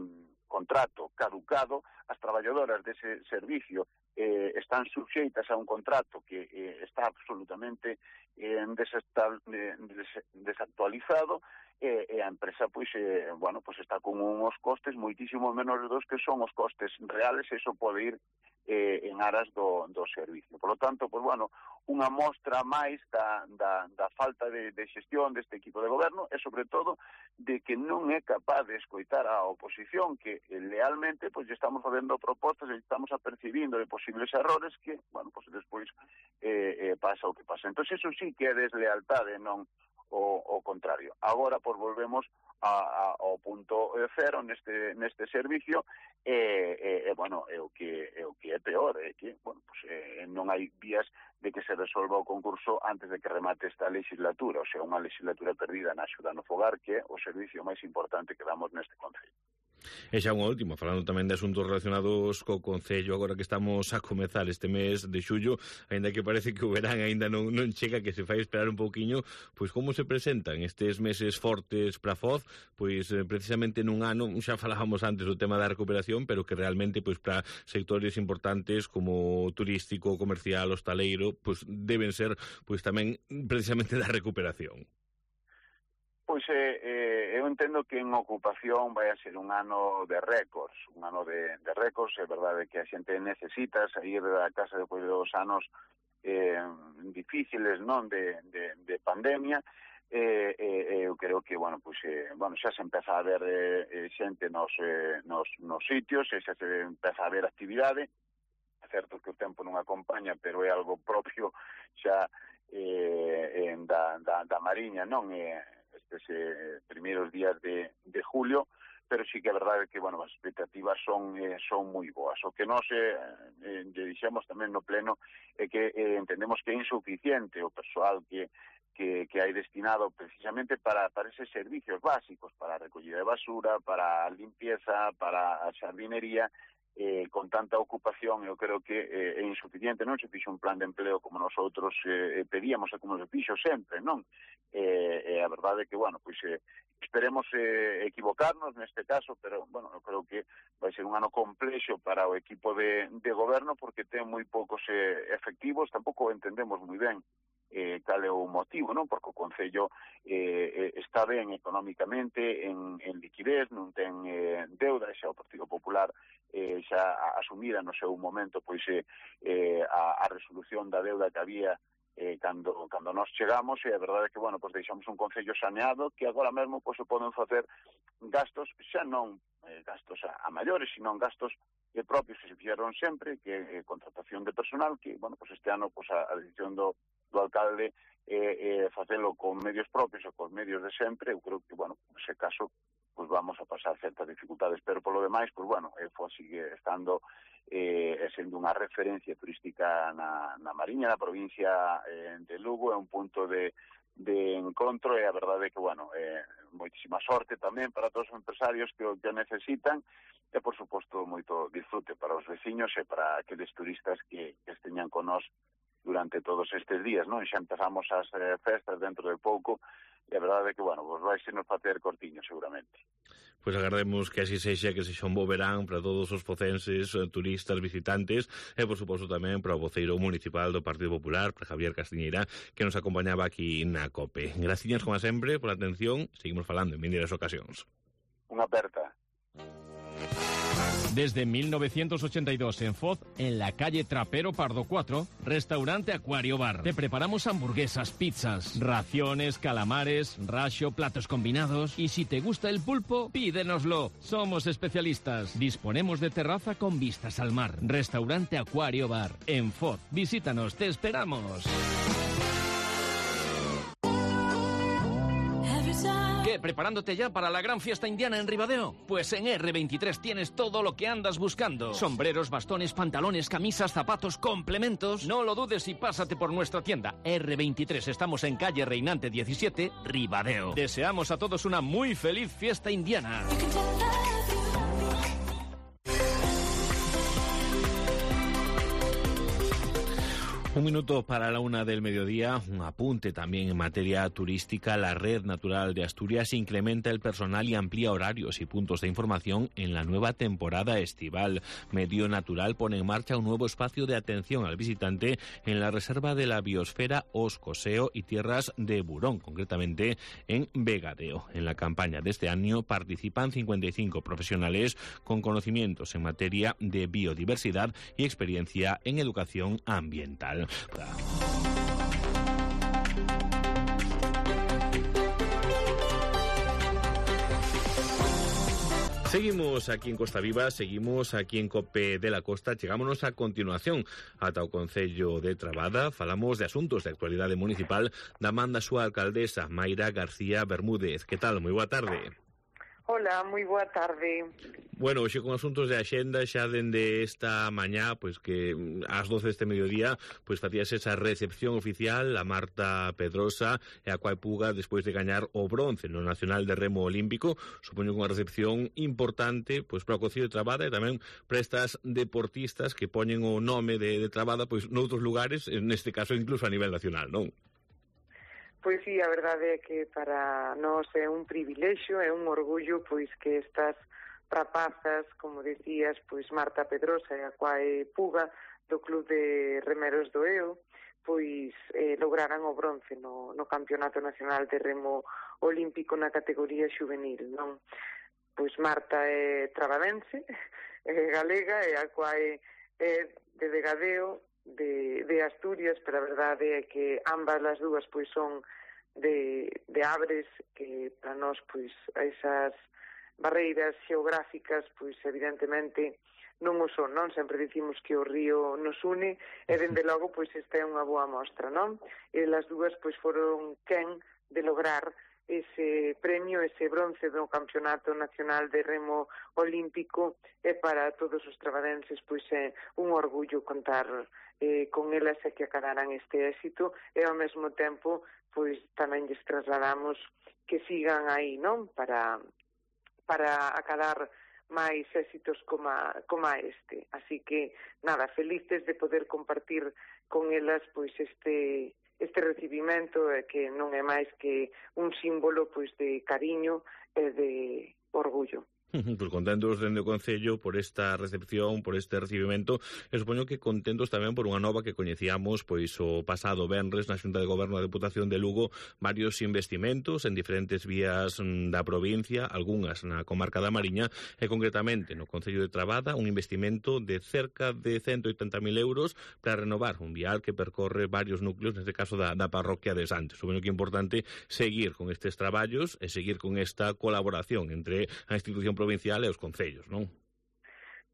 contrato caducado. As traballadoras dese servicio eh, están suxeitas a un contrato que eh, está absolutamente eh, desactualizado, e, e a empresa pois eh, bueno, pois está con uns costes moitísimo menores dos que son os costes reales, e iso pode ir eh, en aras do, do servicio. Por lo tanto, pois bueno, unha mostra máis da, da, da falta de, de xestión deste equipo de goberno, e sobre todo de que non é capaz de escoitar a oposición, que eh, lealmente pois estamos facendo propostas e estamos apercibindo de posibles errores que, bueno, pois despois eh, eh, pasa o que pasa. Entón, eso sí que é deslealtade, non o, o contrario. Agora, pois, volvemos a, a, ao punto cero neste neste servicio e, e, e bueno, é o que é o que é peor, é que, bueno, pues, eh, non hai vías de que se resolva o concurso antes de que remate esta legislatura, o sea, unha legislatura perdida na axuda no fogar, que é o servicio máis importante que damos neste concello.
E xa unha última, falando tamén de asuntos relacionados co Concello, agora que estamos a comezar este mes de xullo, aínda que parece que o verán aínda non, non chega, que se fai esperar un pouquiño, pois como se presentan estes meses fortes para Foz, pois eh, precisamente nun ano, xa falábamos antes do tema da recuperación, pero que realmente pois para sectores importantes como turístico, comercial, hostaleiro, pois deben ser pois tamén precisamente da recuperación.
Pois eh, eh, eu entendo que en ocupación vai a ser un ano de récords, un ano de, de récords, é verdade que a xente necesita sair da casa depois de dos anos eh, difíciles, non, de, de, de pandemia, eh, eh, eu creo que, bueno, pois, eh, bueno, xa se empeza a ver eh, xente nos, eh, nos, nos sitios, e xa se empeza a ver actividade, é certo que o tempo non acompaña, pero é algo propio xa eh, en da, da, da Mariña, non é... estes eh, primeiros días de, de julio, pero sí que é verdade que, bueno, as expectativas son eh, son moi boas. O que nós eh, eh, dixemos tamén no pleno é que eh, entendemos que é insuficiente o persoal que que, que hai destinado precisamente para, para eses servicios básicos, para a recollida de basura, para a limpieza, para a xardinería. Eh, con tanta ocupación, eu creo que eh, é insuficiente, non se fixo un plan de empleo como nosotros eh, pedíamos e como se fixo sempre, non? Eh, eh, a verdade é que, bueno, pois eh, esperemos eh, equivocarnos neste caso, pero, bueno, eu creo que vai ser un ano complexo para o equipo de, de goberno, porque ten moi poucos eh, efectivos, tampouco entendemos moi ben eh, cal é o motivo, non? Porque o Concello eh, está ben económicamente, en, en liquidez, non ten eh, deuda, xa o Partido Popular eh, xa asumira no seu momento pois eh, eh, a, a resolución da deuda que había eh, cando, cando nos chegamos, e a verdade é que, bueno, pois deixamos un Concello saneado, que agora mesmo pois se poden facer gastos, xa non eh, gastos a, a maiores, sino gastos eh, propios que se fixeron sempre, que eh, contratación de personal, que, bueno, pois este ano pois a, a decisión do do alcalde eh, eh, facelo con medios propios ou con medios de sempre. Eu creo que, bueno, nese caso pues vamos a pasar certas dificultades, pero por lo demais, pues bueno, eh, Foz sigue estando eh, sendo unha referencia turística na, na Mariña, na provincia eh, de Lugo, é un punto de, de encontro, e a verdade é que, bueno, eh, moitísima sorte tamén para todos os empresarios que o que necesitan, e, por suposto, moito disfrute para os veciños e para aqueles turistas que, que esteñan con nós durante todos estes días, non? Xa empezamos as eh, festas dentro de pouco, e a verdade é que, bueno, vos vais nos facer cortiño, seguramente.
Pois agardemos que así sexa, que sexa un bo verán para todos os focenses, turistas, visitantes, e, por suposto, tamén para o voceiro municipal do Partido Popular, para Javier Castiñeira, que nos acompañaba aquí na COPE. Graciñas, como sempre, pola atención. Seguimos falando en vindeiras ocasións.
Unha aperta.
Desde mil novecientos ochenta y dos en Foz, en la calle Trapero Pardo cuatro, restaurante Acuario Bar. Te preparamos hamburguesas, pizzas, raciones, calamares, racho, platos combinados. Y si te gusta el pulpo, pídenoslo. Somos especialistas. Disponemos de terraza con vistas al mar. Restaurante Acuario Bar en Foz. Visítanos, te esperamos. ¿Qué? ¿Preparándote ya para la gran fiesta indiana en Ribadeo? Pues en erre veintitrés tienes todo lo que andas buscando. Sombreros, bastones, pantalones, camisas, zapatos, complementos. No lo dudes y pásate por nuestra tienda. erre veintitrés, estamos en calle Reinante diecisiete, Ribadeo. Deseamos a todos una muy feliz fiesta indiana.
Un minuto para la una del mediodía, un apunte también en materia turística. La Red Natural de Asturias incrementa el personal y amplía horarios y puntos de información en la nueva temporada estival. Medio Natural pone en marcha un nuevo espacio de atención al visitante en la Reserva de la Biosfera Os Coseo y Tierras de Burón, concretamente en Vegadeo. En la campaña de este año participan cincuenta y cinco profesionales con conocimientos en materia de biodiversidad y experiencia en educación ambiental. Seguimos aquí en Costa Viva, seguimos aquí en COPE de la Costa. Chegámonos a continuación ata o Concello de Trabada. Falamos de asuntos de actualidade municipal da man da súa alcaldesa, Mayra García Bermúdez. Que tal? Moi boa tarde.
Hola, moi boa tarde.
Bueno, hoxe con asuntos de axenda xa dende esta mañá, pois que ás doce deste mediodía, pois facíase esa recepción oficial a Marta Pedrosa e a Coa Puga despois de gañar o bronce no Nacional de Remo Olímpico. Supoño que unha recepción importante pois para o Concello de Trabada e tamén para estas deportistas que poñen o nome de, de Trabada pois noutros lugares, neste caso incluso a nivel nacional, non?
Pois sí, a verdade é que para nós é un privilexio, é un orgullo pois que estas rapazas, como decías, pois Marta Pedrosa e a Coa Puga do Club de Remeros do Eo, pois eh, lograran o bronce no, no Campeonato Nacional de Remo Olímpico na categoría xuvenil, non? Pois Marta é trabadense, é galega, e a Coa é de Vegadeo, de, de Asturias, pero a verdade é que ambas as dúas pois son de, de Abres, que para nós pois esas barreiras xeográficas pois evidentemente non o son, non? Sempre dicimos que o río nos une e dende logo pois esta é unha boa mostra, non? E as dúas pois foron quen de lograr ese premio, ese bronce do Campeonato Nacional de Remo Olímpico, e para todos os trabadenses pois é un orgullo contar eh, con elas e que acadaran este éxito, e ao mesmo tempo pois tamén lles trasladamos que sigan aí, non? Para, para acadar máis éxitos como, como este. Así que, nada, felices de poder compartir con elas pois este este recibimento, eh, que non é máis que un símbolo pois de cariño e de orgullo.
Pues contentos dende o Concello por esta recepción, por este recibimento, e supoño que contentos tamén por unha nova que coñecíamos pois o pasado venres na Xunta de Goberno da Deputación de Lugo, varios investimentos en diferentes vías da provincia, algunhas na comarca da Mariña e concretamente no Concello de Trabada, un investimento de cerca de ciento oitenta mil euros para renovar un vial que percorre varios núcleos, neste caso da, da parroquia de Santos. Supoño que é importante seguir con estes traballos e seguir con esta colaboración entre a institución provincial e os concellos, non?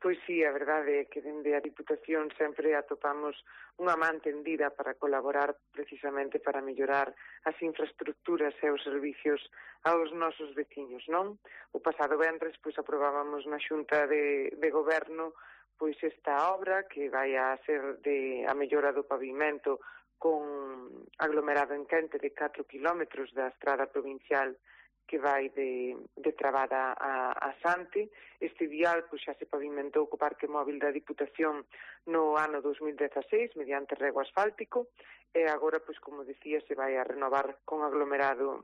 Pois sí, a verdade é que dende a Diputación sempre atopamos unha man tendida para colaborar precisamente para mellorar as infraestructuras e os servicios aos nosos veciños, non? O pasado venres pois aprobábamos na Xunta de, de Goberno pois esta obra que vai a ser de a mellora do pavimento con aglomerado en quente de catro kilómetros da estrada provincial que vai de, de Trabada a, a Sante. Este vial pois, xa se pavimentou co Parque Móvil da Diputación no ano dos mil dezaseis mediante rego asfáltico e agora, pois, como decía, se vai a renovar con aglomerado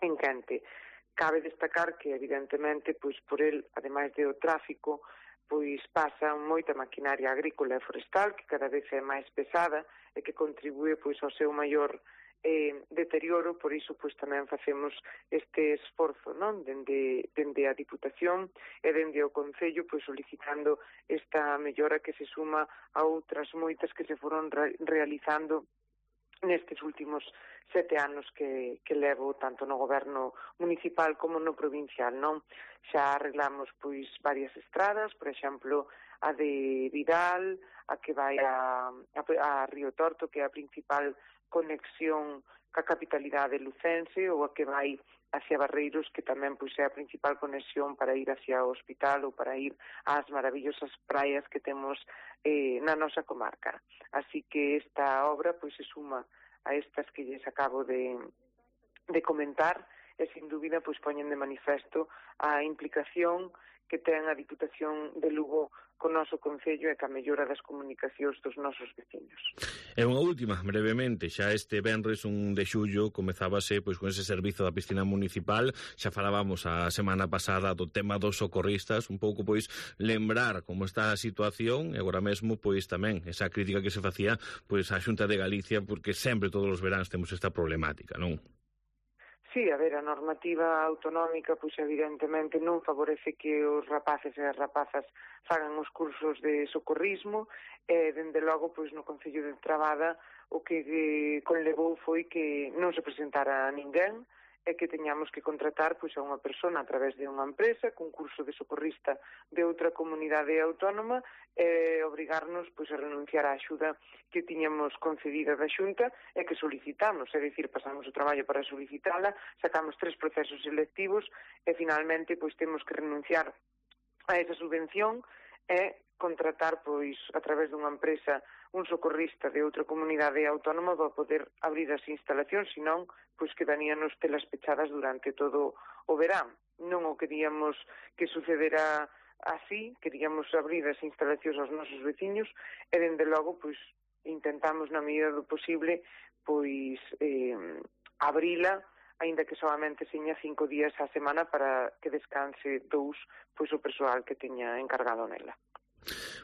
en quente. Cabe destacar que, evidentemente, pois, por el, ademais de o tráfico, pois pasa moita maquinaria agrícola e forestal que cada vez é máis pesada e que contribúe pois, ao seu maior eh, deterioro, por iso pois tamén facemos este esforzo, non? Dende, dende a Diputación e dende o Concello pois solicitando esta mellora que se suma a outras moitas que se foron re realizando nestes últimos sete anos que, que levo tanto no goberno municipal como no provincial, non? Xa arreglamos pois varias estradas, por exemplo, a de Vidal, a que vai a, a, a Río Torto, que é a principal conexión ca capitalidade lucense, ou a que vai hacia Barreiros, que tamén pois é a principal conexión para ir hacia o hospital ou para ir ás maravillosas praias que temos eh, na nosa comarca. Así que esta obra pois se suma a estas que lles acabo de, de comentar e sin dúbida pois poñen de manifesto a implicación que ten a Diputación de Lugo co noso Concello e ca mellora das comunicacións dos nosos veciños.
E unha última, brevemente, xa este venres un de xullo comezábase pois con ese servizo da piscina municipal, xa falábamos a semana pasada do tema dos socorristas, un pouco pois lembrar como está a situación e agora mesmo pois tamén esa crítica que se facía pois á Xunta de Galicia, porque sempre todos os veráns temos esta problemática, non?
Sí, a ver, a normativa autonómica, pois evidentemente non favorece que os rapaces e as rapazas fagan os cursos de socorrismo e, dende logo, pois no Concello de Trabada o que eh, conlevou foi que non se presentara ninguén é que teñamos que contratar pois, a unha persona a través de unha empresa, con curso de socorrista de outra comunidade autónoma, e obrigarnos pois, a renunciar á axuda que tiñamos concedida da Xunta e que solicitamos, é dicir, pasamos o traballo para solicitala, sacamos tres procesos selectivos e finalmente pois temos que renunciar a esa subvención e contratar pois a través dunha empresa un socorrista de outra comunidade autónoma para poder abrir as instalacións, senón pois quedaríanos telas pechadas durante todo o verán. Non o queríamos que sucedera así, queríamos abrir as instalacións aos nosos veciños e dende logo pois intentamos na medida do posible pois eh, abrila, aínda que solamente seña cinco días á semana para que descanse dous pois o persoal que teña encargado nela.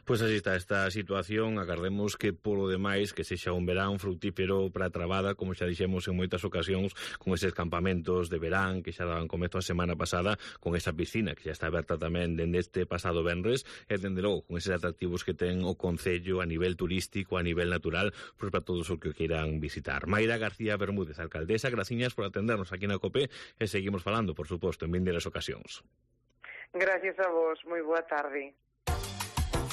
Pois así está esta situación, agardemos que polo demais que sexa un verán frutífero para a trabada, como xa dixemos en moitas ocasións, con eses campamentos de verán que xa daban comezo a semana pasada, con esa piscina que xa está aberta tamén dende este pasado venres, e dende logo con eses atractivos que ten o Concello a nivel turístico, a nivel natural, pois para todos os que o queiran visitar. Mayra García Bermúdez, alcaldesa, graciñas por atendernos aquí na COPE e seguimos falando, por suposto, en vindeiras ocasións.
Gracias a vos, moi boa tarde.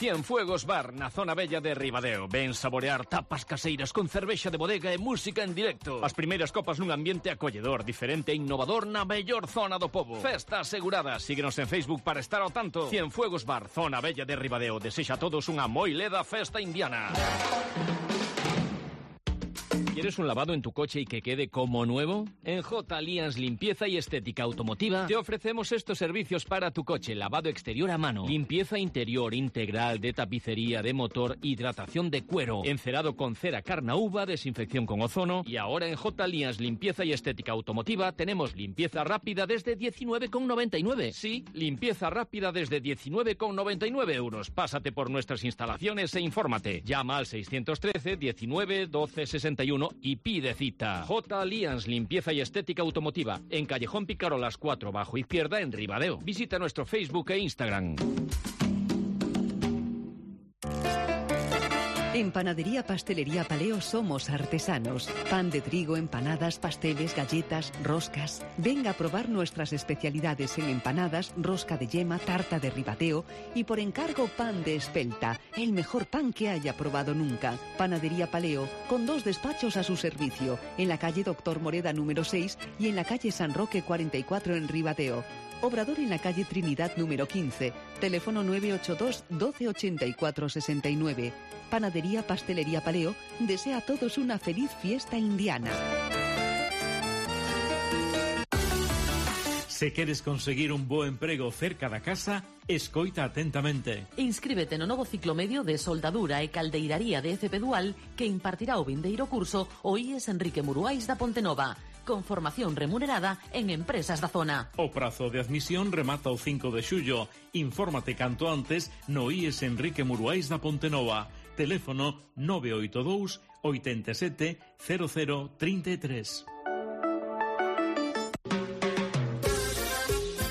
Cienfuegos Bar, na zona bella de Ribadeo. Ven saborear tapas caseiras con cervexa de bodega e música en directo. As primeiras copas nun ambiente acolledor, diferente e innovador na mellor zona do pobo. Festa asegurada. Síguenos en Facebook para estar ao tanto. Cienfuegos Bar, zona bella de Ribadeo. Desexa a todos unha moi leda festa indiana. ¿Quieres un lavado en tu coche y que quede como nuevo? En J. Alliance Limpieza y Estética Automotiva te ofrecemos estos servicios para tu coche: lavado exterior a mano, limpieza interior integral de tapicería de motor, hidratación de cuero, encerado con cera carnauba, desinfección con ozono. Y ahora en J. Alliance Limpieza y Estética Automotiva tenemos limpieza rápida desde diecinueve con noventa y nueve. Sí, limpieza rápida desde diecinueve con noventa y nueve euros. Pásate por nuestras instalaciones e infórmate. Llama al seiscientos trece diecinueve doce sesenta y uno y pide cita. J. Alliance Limpieza y Estética Automotiva, en Callejón Picarolas cuatro bajo izquierda en Ribadeo. Visita nuestro Facebook e Instagram.
En Panadería Pastelería Paleo somos artesanos. Pan de trigo, empanadas, pasteles, galletas, roscas. Venga a probar nuestras especialidades en empanadas, rosca de yema, tarta de Ribadeo y por encargo pan de espelta, el mejor pan que haya probado nunca. Panadería Paleo, con dos despachos a su servicio, en la calle Doctor Moreda número seis y en la calle San Roque cuarenta y cuatro en Ribadeo. Obrador en la calle Trinidad número quince, teléfono nueve ocho dos doce ochenta y cuatro sesenta y nueve. Panadería Pastelería Paleo desea a todos una feliz fiesta indiana.
Se queres conseguir un bo emprego cerca da casa, escoita atentamente.
Inscríbete no novo ciclo medio de soldadura e caldeiraría de F P Dual que impartirá o vindeiro curso o I E S Enrique Muruais da Pontenova, con formación remunerada en empresas da zona.
O prazo de admisión remata o cinco de xullo. Infórmate canto antes no I E S Enrique Muruais da Pontenova. Teléfono nove oito dous oito sete cero cero tres tres.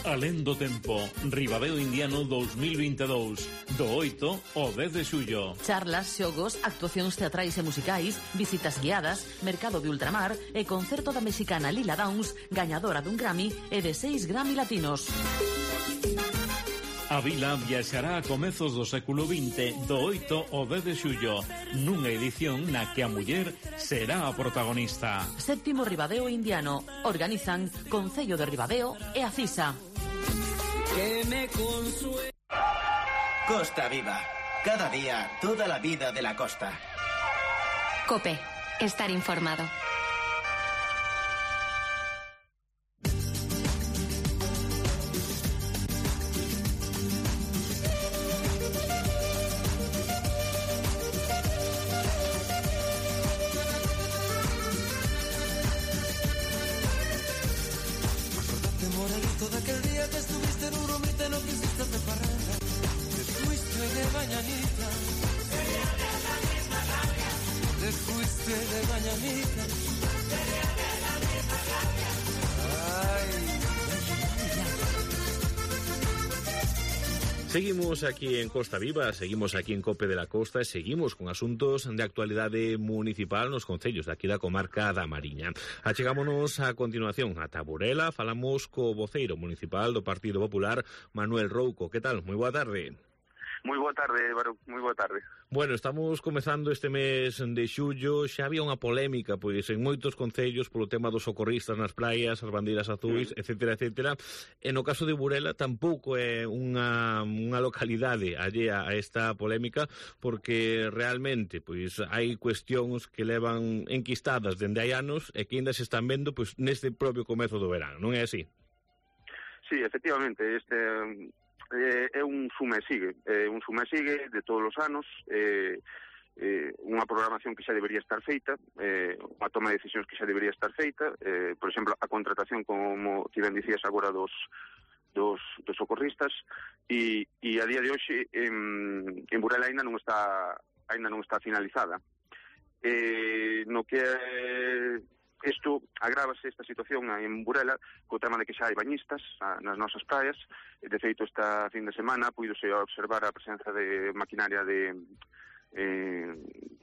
Alén do tempo, Ribadeo Indiano dos mil veintidós, do oito ao dez de xullo.
Charlas, xogos, actuacións teatrais e musicais, visitas guiadas, mercado de ultramar e concerto da mexicana Lila Downs, gañadora dun Grammy e de seis Grammy latinos.
A vila viaxará a comezos do século vinte, do oito ao dez de xullo, nunha edición na que a muller será a protagonista.
Séptimo Ribadeo Indiano. Organizan Concello de Ribadeo e a CISA.
Que me consue... Costa Viva. Cada día, toda la vida de la costa.
COPE. Estar informado.
Seguimos aquí en Costa Viva, seguimos aquí en Cope de la Costa e seguimos con asuntos de actualidade municipal nos concellos de aquí da comarca da Mariña. Achegámonos a continuación a Burela, falamos co voceiro municipal do Partido Popular, Manuel Rouco. Que tal? Moi boa tarde.
Moi boa tarde, Barón, moi boa tarde.
Bueno, estamos comezando este mes de xullo, xa había unha polémica pois en moitos concellos polo tema dos socorristas nas praias, as bandeiras azuis, mm. etcétera, etcétera. E no caso de Burela tampouco é unha, unha localidade allea a esta polémica, porque realmente pois hai cuestións que levan enquistadas dende hai anos e que ainda se están vendo pois neste propio comezo do verán, non é así?
Sí, efectivamente, este... Eh, é un sume sigue, é un sume sigue de todos os anos, eh, eh, unha programación que xa debería estar feita, eh, unha toma de decisións que xa debería estar feita, eh, por exemplo, a contratación, como ti ben dicías agora, dos, dos, dos socorristas, e, e a día de hoxe en, en Burela ainda non está, ainda non está finalizada. Eh, no que eh, Isto agrávase esta situación en Burela co tema de que xa hai bañistas a, nas nosas praias. De feito, esta fin de semana puidose observar a presenza de maquinaria de eh,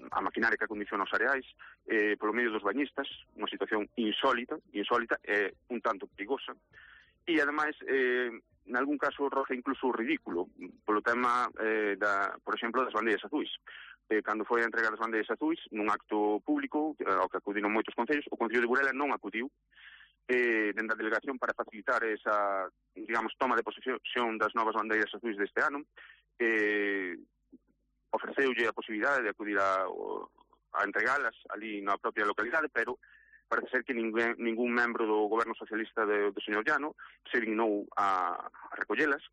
a maquinaria que acondiciona os areais eh, polo medio dos bañistas, unha situación insólita, insólita e un tanto perigosa. E ademais, eh, en algún caso roza incluso ridículo polo tema eh, da, por exemplo, das bandeiras azuis. Eh, cando foi a entregar as bandeiras azuis nun acto público ao que acudiron moitos concellos, o Concello de Burela non acudiu eh, dende a delegación para facilitar esa, digamos, toma de posesión das novas bandeiras azuis deste ano. Eh, ofreceulle a posibilidade de acudir a, a entregalas ali na propia localidade, pero parece ser que ningún, ningún membro do goberno socialista de, do señor Llano se dignou a, a recollelas.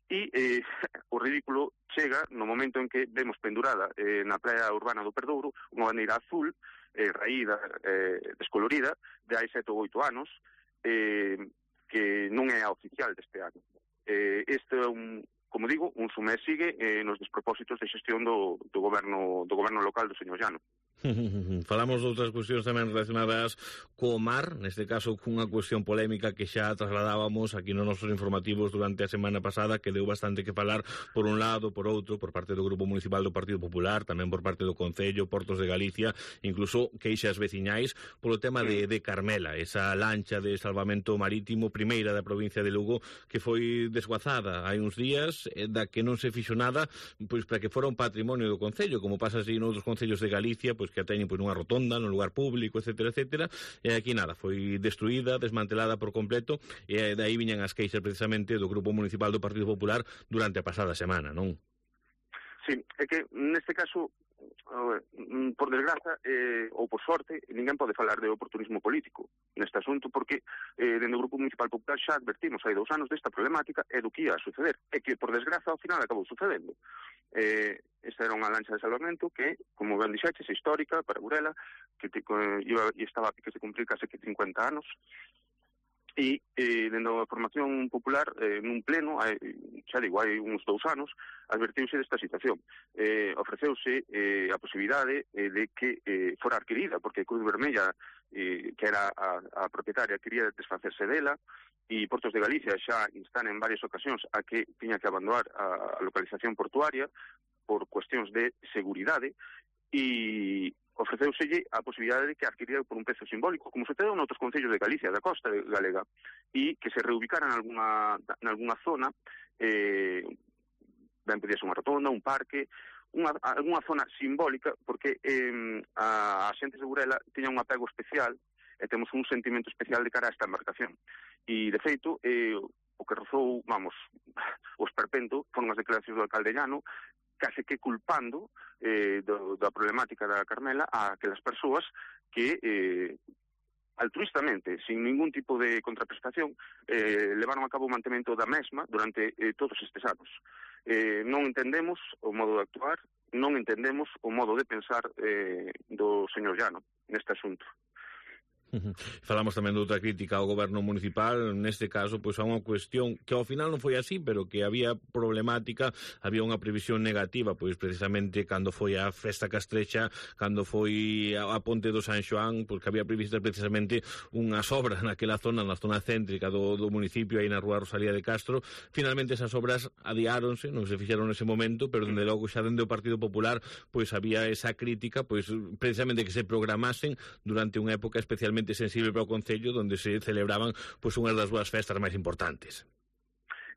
E eh, o ridículo chega no momento en que vemos pendurada eh, na praia urbana do Perdouro unha bandeira azul, eh, raída, eh, descolorida, de hai sete ou oito anos, eh, que non é a oficial deste ano. Eh, este é un, como digo, un sume sigue eh, nos despropósitos de xestión do, do, goberno, do goberno local do señor Llano.
Falamos de outras cuestións tamén relacionadas co mar, neste caso cunha cuestión polémica que xa trasladábamos aquí nos nosos informativos durante a semana pasada, que deu bastante que falar por un lado, por outro, por parte do Grupo Municipal do Partido Popular, tamén por parte do Concello, Portos de Galicia, incluso queixas veciñais polo tema de, de Carmela, esa lancha de salvamento marítimo primeira da provincia de Lugo, que foi desguazada hai uns días, da que non se fixo nada pois para que fora un patrimonio do Concello, como pasa así noutros concellos de Galicia, pois que a teñen pois nunha rotonda, nun lugar público, etcétera, etcétera, e aquí nada, foi destruída, desmantelada por completo, e de aí viñan as queixas precisamente do Grupo Municipal do Partido Popular durante a pasada semana, non?
Sí, é que neste caso, por desgraza, eh, ou por sorte, ninguén pode falar de oportunismo político neste asunto, porque eh, dentro do Grupo Municipal Popular xa advertimos hai dous anos desta problemática e do que ia a suceder, e que por desgraza ao final acabou sucedendo. Eh, esta era unha lancha de salvamento que, como ben dixeches, é histórica para Burela, que te, eh, iba, e estaba a piques de cumprir case que cincuenta anos, e eh, dentro da formación popular, eh, nun pleno, hai, xa digo, hai uns dous anos, advertiuse desta situación. Eh, ofreceuse eh, a posibilidade eh, de que eh, fora adquirida, porque Cruz Vermella, eh, que era a, a propietaria, quería desfacerse dela, e Portos de Galicia xa instan en varias ocasións a que tiña que abandonar a, a localización portuaria por cuestións de seguridade, e ofreceuselle a posibilidade de que adquirira por un prezo simbólico, como sucedeu noutros concellos de Galicia, da costa galega, e que se reubicara en alguna, en alguna zona, eh, ben podía ser unha rotonda, un parque, unha, alguna zona simbólica, porque eh, a, a xentes de Burela tiña un apego especial e temos un sentimento especial de cara a esta embarcación. E, de feito, eh, o que rozou, vamos, o esperpento foron as declaracións do alcalde Llano, case que culpando eh, do, da problemática da Carmela a aquelas persoas que eh, altruistamente, sin ningún tipo de contraprestación, eh, levaron a cabo o mantemento da mesma durante eh, todos estes anos. Eh, non entendemos o modo de actuar, non entendemos o modo de pensar eh, do señor Llano neste asunto.
Falamos tamén de outra crítica ao goberno municipal, neste caso, pois a unha cuestión que ao final non foi así, pero que había problemática, había unha previsión negativa, pois precisamente cando foi a Festa Castrexa, cando foi a Ponte do San Xoán, porque había previsto precisamente unhas obras naquela zona, na zona céntrica do, do municipio, aí na rúa Rosalía de Castro. Finalmente esas obras adiáronse, non se fixeron nese momento, pero dende logo xa dende o Partido Popular pois había esa crítica, pois precisamente que se programasen durante unha época especialmente sensible para o Concello, onde se celebraban pois unhas das súas festas máis importantes.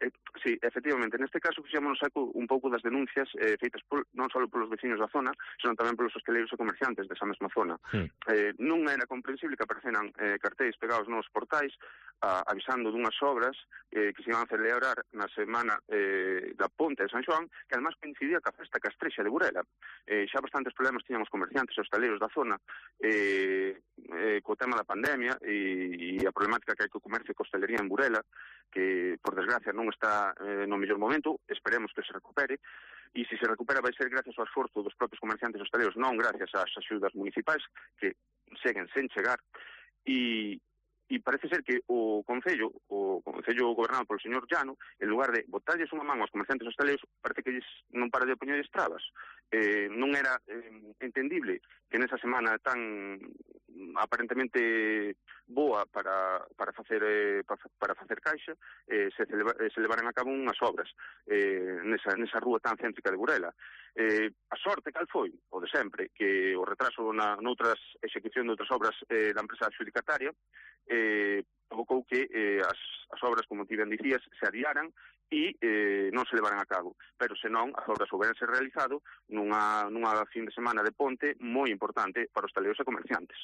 Eh, sí, efectivamente, neste caso fixémonos eco un pouco das denuncias eh, feitas por, non só polos veciños da zona, senón tamén polos hosteleiros e comerciantes desa mesma zona. Sí. Eh, non era comprensible que apareceran eh, cartéis pegados nos portais a, avisando dunhas obras eh, que se iban a celebrar na semana eh, da Ponte de San Xoán, que además coincidía ca Festa Castrexa de Burela. Eh, xa bastantes problemas tiñan os comerciantes e hosteleiros da zona eh, eh, co tema da pandemia e, e a problemática que hai co comercio e co hostelería en Burela, que, por desgracia, non está eh, no mellor momento, esperemos que se recupere, e se se recupera vai ser gracias ao esforzo dos propios comerciantes hostaleiros, non gracias ás axudas municipais, que seguen sen chegar, e, e parece ser que o Concello, o Concello gobernado polo señor Llano, en lugar de botalles unha man aos comerciantes hostaleiros, parece que non para de poñerles trabas. Eh, non era eh, entendible que nesa semana tan aparentemente boa para, para facer eh, para, para facer caixa eh, se, celebra, eh, se levaran a cabo unhas obras eh, nesa, nesa rúa tan céntrica de Burela. Eh, a sorte cal foi, o de sempre, que o retraso na, noutras execución de outras obras eh, da empresa adxudicataria eh, provocou que eh, as, as obras, como ti ben dicías, se adiaran e eh, non se levaran a cabo. Pero senón, as obras houberanse realizado nunha, nunha fin de semana de ponte moi importante para os taleiros e comerciantes.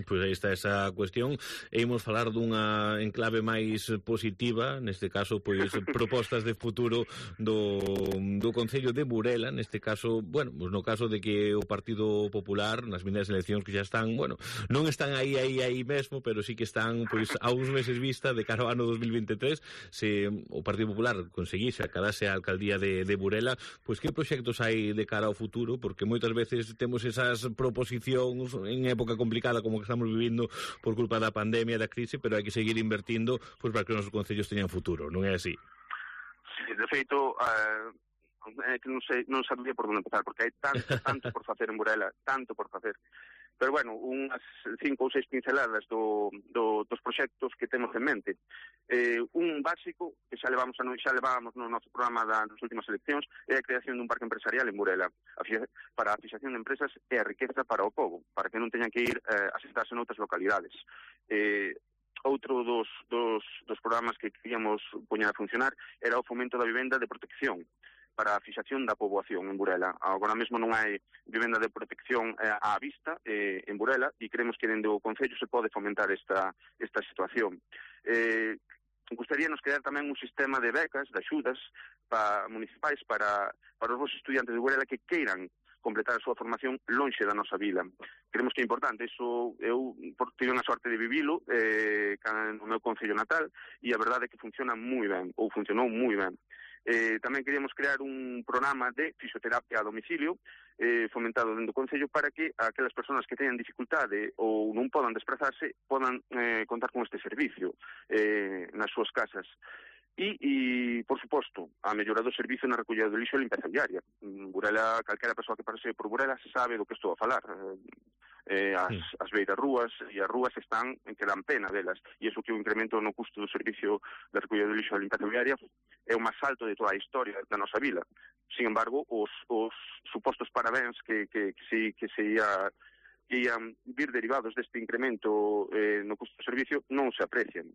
Pois aí está esa cuestión, e imos falar dunha enclave máis positiva, neste caso, pois propostas de futuro do, do Concello de Burela, neste caso, bueno, pois no caso de que o Partido Popular, nas vindeiras eleccións que xa están, bueno, non están aí, aí, aí mesmo, pero sí que están, pois, a uns meses vista de cara ao ano dos mil veintitrés, se o Partido Popular conseguise acadase a alcaldía de, de Burela, pois que proxectos hai de cara ao futuro, porque moitas veces temos esas proposicións en época complicada como que estamos vivindo por culpa da pandemia e da crise, pero hai que seguir invertindo pois para que os nosos concellos teñan futuro, non é así?
Sí, de feito, uh, é que non sei, non sabía por onde empezar, porque hai tanto, tanto por facer en Burela, tanto por facer. Pero, bueno, unhas cinco ou seis pinceladas do, do, dos proxectos que temos en mente. Eh, un básico, que xa levamos a, xa levábamos no noso programa das últimas eleccións, é a creación dun parque empresarial en Burela, para a fixación de empresas e a riqueza para o pobo, para que non teñan que ir eh, a sentarse noutras localidades. Eh, outro dos, dos, dos programas que queríamos poñer a funcionar era o fomento da vivenda de protección, para a fixación da poboación en Burela. Agora mesmo non hai vivenda de protección eh, á vista eh, en Burela, e creemos que dende o Concello se pode fomentar esta, esta situación. Eh, gustaríanos crear tamén un sistema de becas, de axudas pa, municipais para, para os vos estudiantes de Burela que queiran completar a súa formación lonxe da nosa vila. Creemos que é importante, iso eu tive a sorte de vivilo eh, no meu concello natal, e a verdade é que funciona moi ben, ou funcionou moi ben. Eh, tamén queríamos crear un programa de fisioterapia a domicilio eh, fomentado dentro do Concello para que aquelas persoas que teñan dificultade ou non podan desplazarse podan eh, contar con este servicio eh, nas súas casas. E, e, por suposto, a mellora do servicio na recollida do lixo e limpeza diaria. Burela, calquera persoa que pase por Burela se sabe do que estou a falar. Eh, as, as beiras rúas e as rúas están en que dan pena delas, e iso que o incremento no custo do servicio de recollida do lixo e limpeza diaria é o máis alto de toda a historia da nosa vila. Sin embargo, os, os supostos parabéns que, que, que, se, que se ia que ian vir derivados deste incremento eh, no custo do servicio non se aprecian.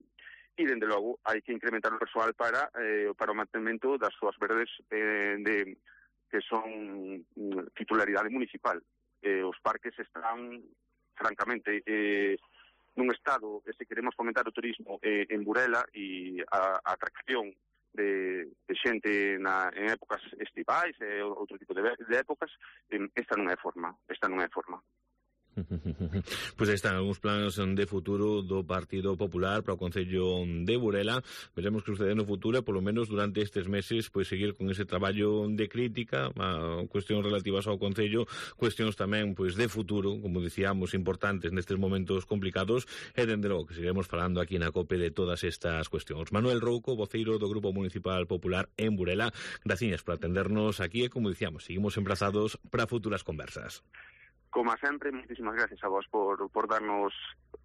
E, dende logo, hai que incrementar o persoal para, eh, para o mantenimento das súas verdes eh, de, que son titularidade municipal. Eh, os parques están, francamente, eh, nun estado, eh, se queremos fomentar o turismo eh, en Burela e a, a atracción de, de xente na, en épocas estivais e outro tipo de, de épocas, eh, esta non é forma, esta non é forma.
Pois aí están algúns plans de futuro do Partido Popular para o Concello de Burela. Veremos que sucede no futuro, polo menos durante estes meses, pois seguir con ese traballo de crítica a cuestións relativas ao Concello, cuestións tamén pois de futuro, como dicíamos, importantes nestes momentos complicados, e dende logo que seguiremos falando aquí na COPE de todas estas cuestións. Manuel Rouco, voceiro do Grupo Municipal Popular en Burela, graciñas por atendernos aquí e, como dicíamos, seguimos emplazados para futuras conversas.
Como sempre, muchísimas gracias a vos por, por darnos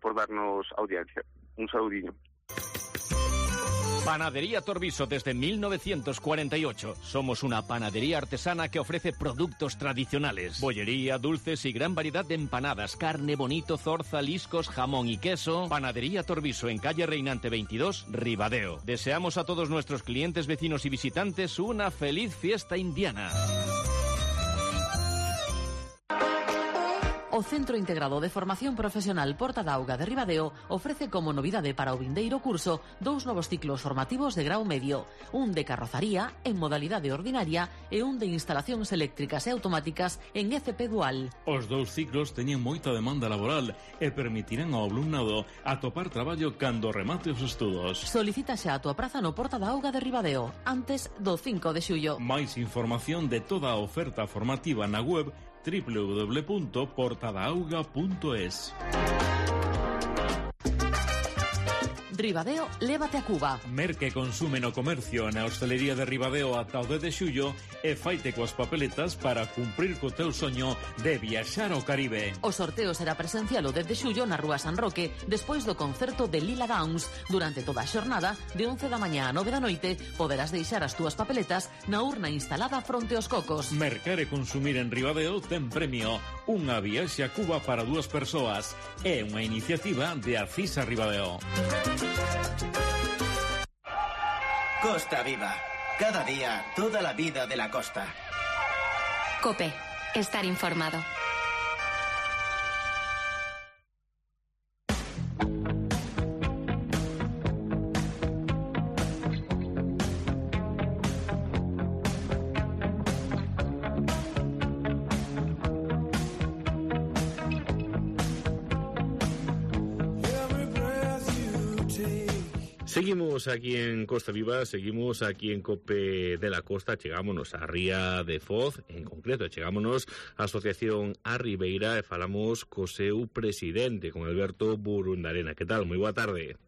por darnos audiencia. Un saludinho.
Panadería Torviso desde mil novecientos cuarenta y ocho. Somos una panadería artesana que ofrece productos tradicionales. Bollería, dulces y gran variedad de empanadas, carne, bonito, zorza, liscos, jamón y queso. Panadería Torviso en calle Reinante veintidós, Ribadeo. Deseamos a todos nuestros clientes, vecinos y visitantes una feliz fiesta indiana.
O Centro Integrado de Formación Profesional Porta da Auga de Ribadeo ofrece como novidade para o vindeiro curso dous novos ciclos formativos de grau medio, un de carrozaría en modalidade ordinaria e un de instalacións eléctricas e automáticas en F P dual.
Os dous ciclos teñen moita demanda laboral e permitirán ao alumnado atopar traballo cando remate os estudos.
Solicita xa a túa praza no Porta da Auga de Ribadeo antes do cinco de xullo.
Máis información de toda a oferta formativa na web doble u doble u doble u punto portadaauga punto es.
Ribadeo, lévate a Cuba.
Merque consume no comercio na hostelería de Ribadeo ata o dez de xullo e faite coas papeletas para cumprir co teu soño de viaxar ao Caribe.
O sorteo será presencial o dez de xullo na Rúa San Roque, despois do concerto de Lila Downs. Durante toda a xornada, de once da mañá a nove da noite, poderás deixar as túas papeletas na urna instalada fronte aos cocos.
Mercar e consumir en Ribadeo ten premio. Unha viaxe a Cuba para dúas persoas. É unha iniciativa de Acisa Ribadeo.
Costa Viva. Cada día, toda la vida de la costa.
COPE. Estar informado.
Seguimos aquí en Costa Viva, seguimos aquí en COPE de la Costa, chegámonos a Ría de Foz, en concreto, chegámonos a Asociación A Ribeira e falamos co seu presidente, con Alberto Burundarena. Que tal? Moi boa tarde.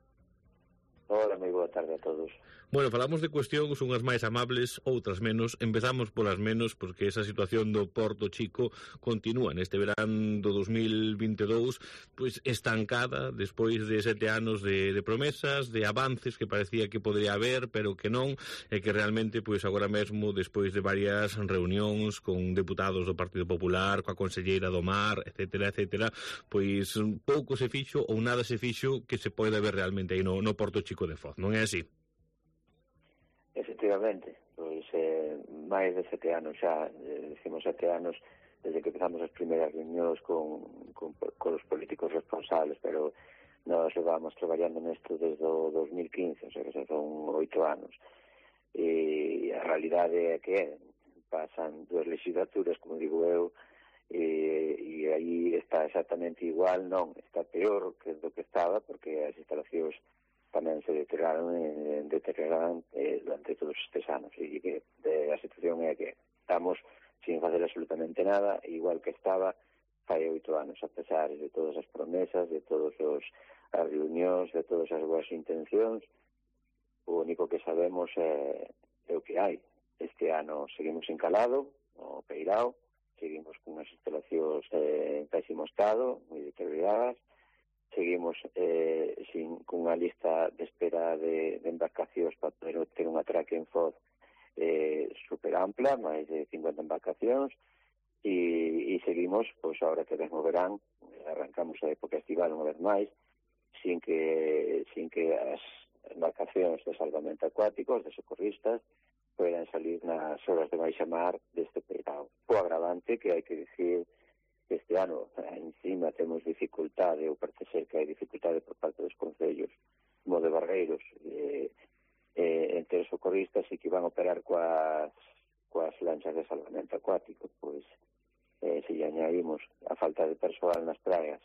Hola, moi boa tarde a todos.
Bueno, falamos de cuestións unhas máis amables, outras menos. Empezamos polas menos, porque esa situación do Porto Chico continúa neste verán do dos mil vinte e dous, pois estancada, despois de sete anos de, de promesas, de avances que parecía que podría haber, pero que non, e que realmente, pois agora mesmo, despois de varias reunións con deputados do Partido Popular, coa conselleira do Mar, etcétera, etcétera, pois pouco se fixo ou nada se fixo que se pode ver realmente aí no, no Porto Chico de Foz, non é así?
Efectivamente, pois eh, máis de sete anos xa, eh, decimos sete anos desde que empezamos as primeiras reunións con, con, con os políticos responsables, pero nós levamos traballando nesto desde o dos mil quince, o sea que xa son oito anos. E a realidade é que pasan dúas legislaturas, como digo eu, e, e aí está exactamente igual, non, está peor que do que estaba, porque as instalacións tamén se deterioraron, eh, deterioraron eh, durante todos estes anos, e que de, a situación é que estamos sin facer absolutamente nada, igual que estaba fai oito anos, a pesar de todas as promesas, de todas as reunións, de todas as boas intencións. O único que sabemos é, é o que hai. Este ano seguimos encalado, no Peirao, seguimos con as instalacións eh, en pésimo estado, moi deterioradas, seguimos eh, sin, con unha lista de espera de, de embarcacións para poder ter un atraque en Foz eh, super ampla, máis de cincuenta embarcacións, e, e seguimos, pois agora que ven o verán, arrancamos a época estival unha vez máis, sin que, sin que as embarcacións de salvamento acuáticos, de socorristas, poden salir nas horas de baixa mar deste Peirao. O agravante que hai que dicir este ano, encima temos dificultade, ou parece ser que hai dificultade por parte dos concellos, como de Barreiros, eh, eh, entre os socorristas e que van a operar coas, coas lanchas de salvamento acuático, pois eh, se lle añadimos a falta de persoal nas praias,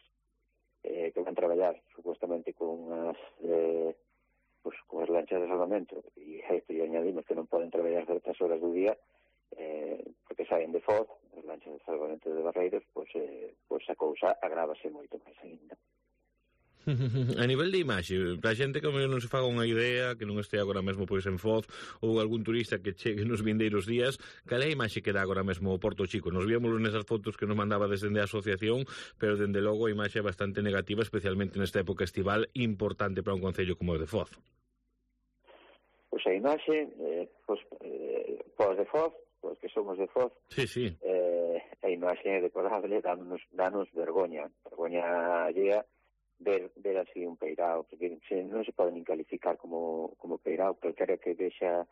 eh, que van traballar supuestamente con as eh, pues, con as lanchas de salvamento, e a isto lle añadimos que non poden traballar certas horas do día, eh, porque saen de Foz, as lanchas de salvamento de Barreiros, pois, eh, pois a cousa agrávase moito máis ainda.
A nivel de imaxe, para a xente que non se faga unha idea, que non este agora mesmo pois en Foz, ou algún turista que chegue nos vindeiros días, cal é a imaxe que dá agora mesmo o Porto Chico? Nos víamos nesas fotos que nos mandaba desde a asociación, pero dende logo a imaxe é bastante negativa, especialmente nesta época estival, importante para un concello como o de Foz.
Pois a imaxe, eh, pois, eh, pois de Foz, pois que somos de Foz,
sí, sí.
Eh, a imaxe é deplorable, danos, danos vergoña, vergoña allea, ver, ver así un peirao, porque se, non se pode nin calificar como, como peirao, calquera que vexa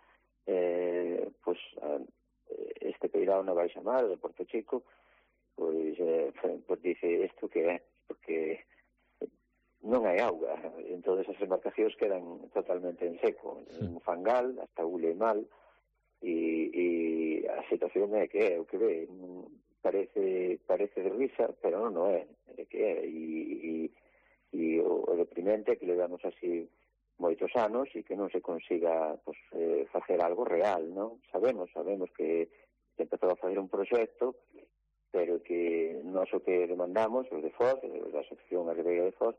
eh, pues, a, este peirao na Baixa Mar de Porto Chico, pois, eh, pues dice isto que é, porque non hai auga, entón as embarcacións quedan totalmente en seco, un fangal, hasta ule mal, e, e a situación é que é o que ve, parece, parece de risa, pero non, non é, é que é, e, e e o, o deprimente é que le damos así moitos anos e que non se consiga pues, eh, facer algo real, non? Sabemos, sabemos que se empezou a facer un proxecto, pero que nós o que demandamos, os de Foz, da Asociación Agreira de Foz,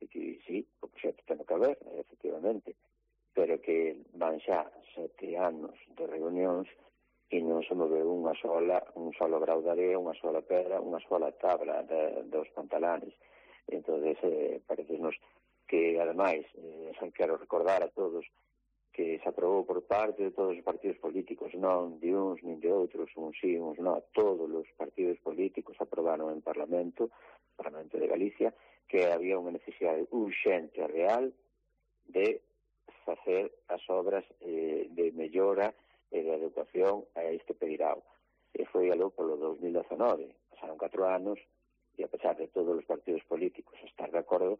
e que sí, o proxecto ten que haber, efectivamente, pero que van xa sete anos de reunións e non se move unha sola, un solo grau de area, unha sola pedra, unha sola tabla de, dos pantalanes. Entón, eh, parecenos que, ademais, eh, quero recordar a todos que se aprobou por parte de todos os partidos políticos, non de uns nin de outros, uns sí, uns non, todos os partidos políticos aprobaron en Parlamento, Parlamento de Galicia, que había unha necesidade urxente real de facer as obras eh, de mellora e de adecuación a este peirao. E foi algo polo dos mil dezenove, pasaron catro anos, e a pesar de todos os partidos políticos estar de acordo,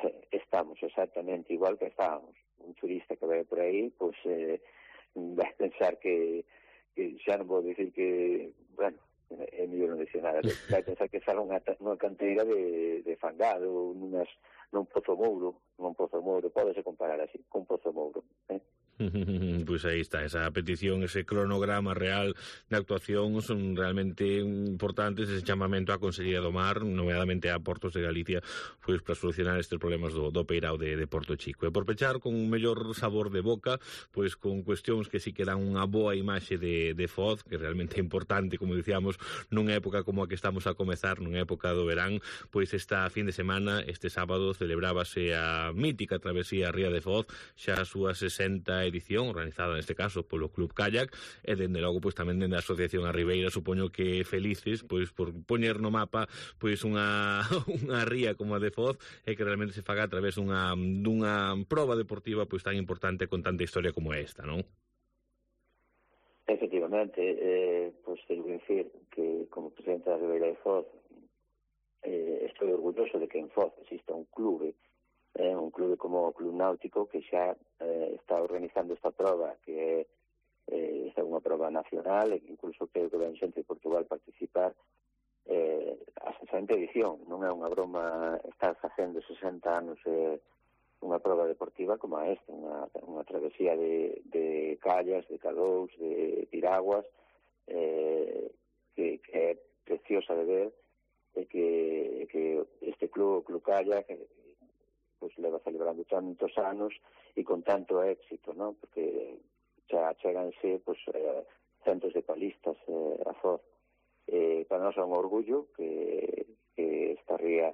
eh, estamos exactamente igual que estábamos. Un turista que vai por aí, pois, eh, vai pensar que, que xa non vou dicir que, bueno, é mellor non dicir nada, vai pensar que está unha, unha canteira de, de fangado, nunas, nun pozo mouro, nun pozo mouro, pódese comparar así, con pozo mouro, eh?
Pois aí está, esa petición, ese cronograma real de actuación son realmente importantes, ese chamamento á Consellería do Mar, nomeadamente a Portos de Galicia, pois para solucionar estes problemas do, do peirao de, de Porto Chico. E por pechar con un mellor sabor de boca, pois con cuestións que sí que dan unha boa imaxe de, de Foz, que realmente é importante, como dicíamos, nunha época como a que estamos a comezar, nunha época do verán, pois esta fin de semana, este sábado, celebrábase a mítica travesía Ría de Foz, xa a súa sesenta edición, organizada neste caso polo Club Kayak, e dende logo pois tamén dende a Asociación A Ribeira, supoño que felices pois por poñer no mapa pois unha unha ría como a de Foz e que realmente se faga a través dunha dunha proba deportiva pois tan importante con tanta historia como esta, non?
Efectivamente, eh, pois teño que decir que como presidente da Ribeira de Foz eh, estou orgulloso de que en Foz exista un clube, eh, un clube como o Club Náutico que xa eh, está organizando esta prova, que é eh, esta é unha prova nacional e que incluso creo que ven xente de Portugal participar eh, a sesenta edición. Non é unha broma estar facendo sesenta anos eh, unha prova deportiva como esta, unha, unha travesía de, de callas, de cadous, de piraguas eh, que, que é preciosa de ver e que, que este club, o Club Kayak, que pues leva celebrando tantos anos e con tanto éxito, ¿no? Porque xa cheganse pues, eh, centos de palistas eh, a Foz. Eh, para nós é un orgullo que, que esta ría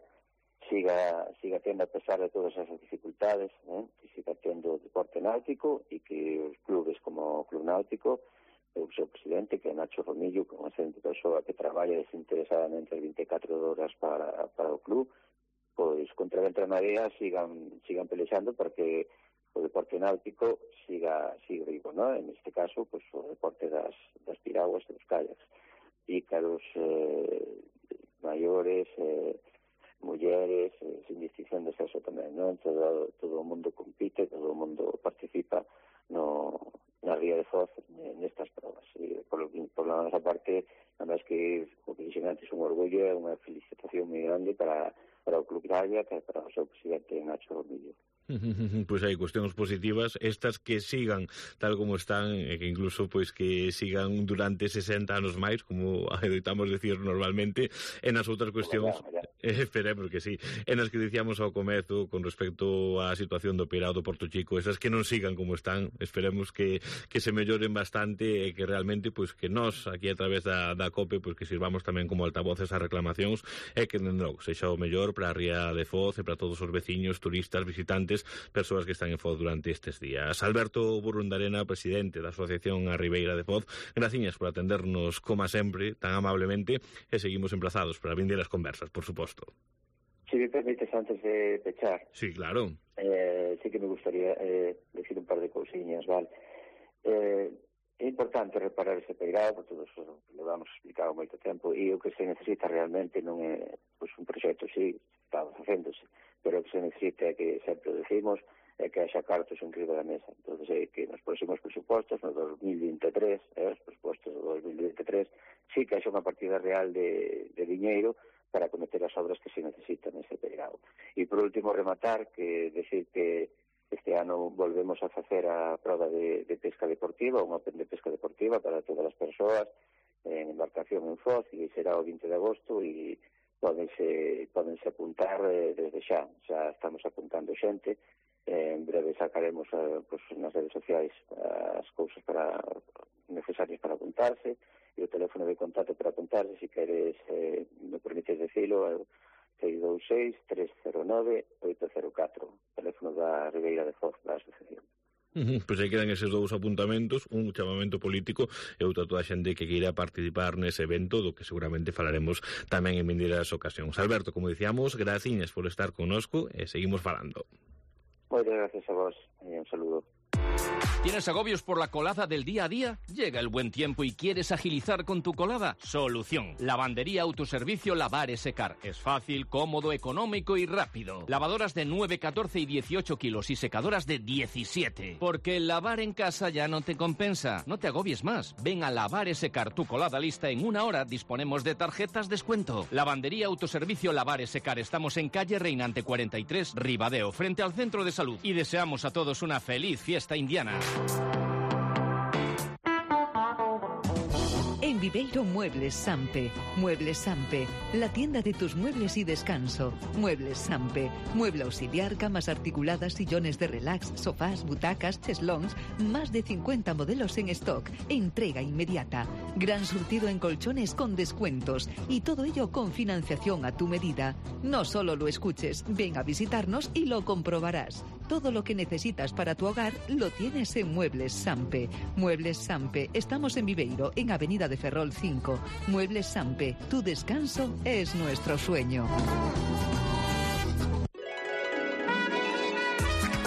siga, siga tendo, a pesar de todas esas dificultades, eh, que siga tendo deporte náutico e que os clubes como o Club Náutico, o seu presidente, que é Nacho Romillo, que é unha excelente persoa que traballa desinteresadamente as vinte e catro horas para, para o club, pois contra a marea sigan sigan pelexando porque o deporte náutico siga siga vivo, ¿no? En este caso, pois o deporte das, das piraguas e dos kayaks. Pícaros, eh, maiores, eh, mulleres, eh, sin distinción de sexo tamén, ¿no? Todo, todo o mundo compite, todo o mundo participa no, na Ría de Foz nestas provas. E por, por la nosa parte, además que o que dixen antes un orgullo e unha felicitación moi grande para, para o Club Gralla e para o seu presidente Nacho Romillo.
Pois hai cuestións positivas, estas que sigan tal como están, e que incluso pois que sigan durante sesenta anos máis, como adoitamos decir normalmente, e nas outras cuestións, eh, esperemos que sí, e nas que dicíamos ao comezo con respecto á situación do Peirao do Porto Chico, esas que non sigan como están, esperemos que, que se melloren bastante e que realmente pois que nós aquí a través da, da COPE pois que sirvamos tamén como altavoces a reclamacións e que non sexa o mellor para a Ría de Foz e para todos os veciños, turistas, visitantes, persoas que están en Foz durante estes días. Alberto Burrundarena, presidente da Asociación A Ribeira de Foz, graciñas por atendernos como sempre, tan amablemente, e seguimos emplazados para vindeiras conversas, por suposto.
Si me permites, antes de pechar...
Sí, claro.
Eh, sí que me gustaría eh, decir un par de cousiñas, vale? Eh, é importante reparar ese peirao, por todo eso lo vamos explicado moito tempo, e o que se necesita realmente non é pues, un proxecto, sí, está facéndose, pero o que se necesita é que, sempre o decimos, é que haxa cartos en riba da mesa. Entón, é que nos próximos presupostos, no dos mil veintitrés, eh, os presupostos do dos mil veintitrés, sí que haxa unha partida real de, de diñeiro para cometer as obras que se necesitan nese peirao. E, por último, rematar, que decir que este ano volvemos a facer a prova de, de pesca deportiva, un Open de pesca deportiva para todas as persoas en embarcación en Foz, e será o vinte de agosto, e Pódense, pódense apuntar eh, desde xa, xa estamos apuntando xente, eh, en breve sacaremos eh, pues, nas redes sociais as cousas para necesarias para apuntarse, e o teléfono de contacto para apuntarse, se queres, eh, me permites decirlo, é seis dous seis, tres cero nove, oito cero catro, teléfono da Ribeira de Foz, da asociación.
Uh-huh. Pois aí quedan eses dous apuntamentos, un chamamento político e outra toda a xente que queira participar nese evento, do que seguramente falaremos tamén en vindeiras ocasións. Alberto, como dicíamos, graciñas por estar connosco e seguimos falando.
Moitas gracias a vos e un saludo.
¿Tienes agobios por la colada del día a día? Llega el buen tiempo y quieres agilizar con tu colada. Solución. Lavandería Autoservicio Lavar y Secar. Es fácil, cómodo, económico y rápido. Lavadoras de nueve, catorce y dieciocho kilos y secadoras de diecisiete. Porque el lavar en casa ya no te compensa. No te agobies más. Ven a Lavar y Secar tu colada lista en una hora. Disponemos de tarjetas descuento. Lavandería Autoservicio Lavar y Secar. Estamos en calle Reinante cuarenta y tres, Ribadeo, frente al Centro de Salud. Y deseamos a todos una feliz fiesta indiana.
En Viveiro, Muebles Sampe. Muebles Sampe, la tienda de tus muebles y descanso. Muebles Sampe, mueble auxiliar, camas articuladas, sillones de relax, sofás, butacas, cheslons, más de cincuenta modelos en stock, entrega inmediata, gran surtido en colchones con descuentos y todo ello con financiación a tu medida. No solo lo escuches, ven a visitarnos y lo comprobarás. Todo lo que necesitas para tu hogar lo tienes en Muebles Sampe. Muebles Sampe, estamos en Viveiro, en Avenida de Ferrol cinco. Muebles Sampe, tu descanso es nuestro sueño.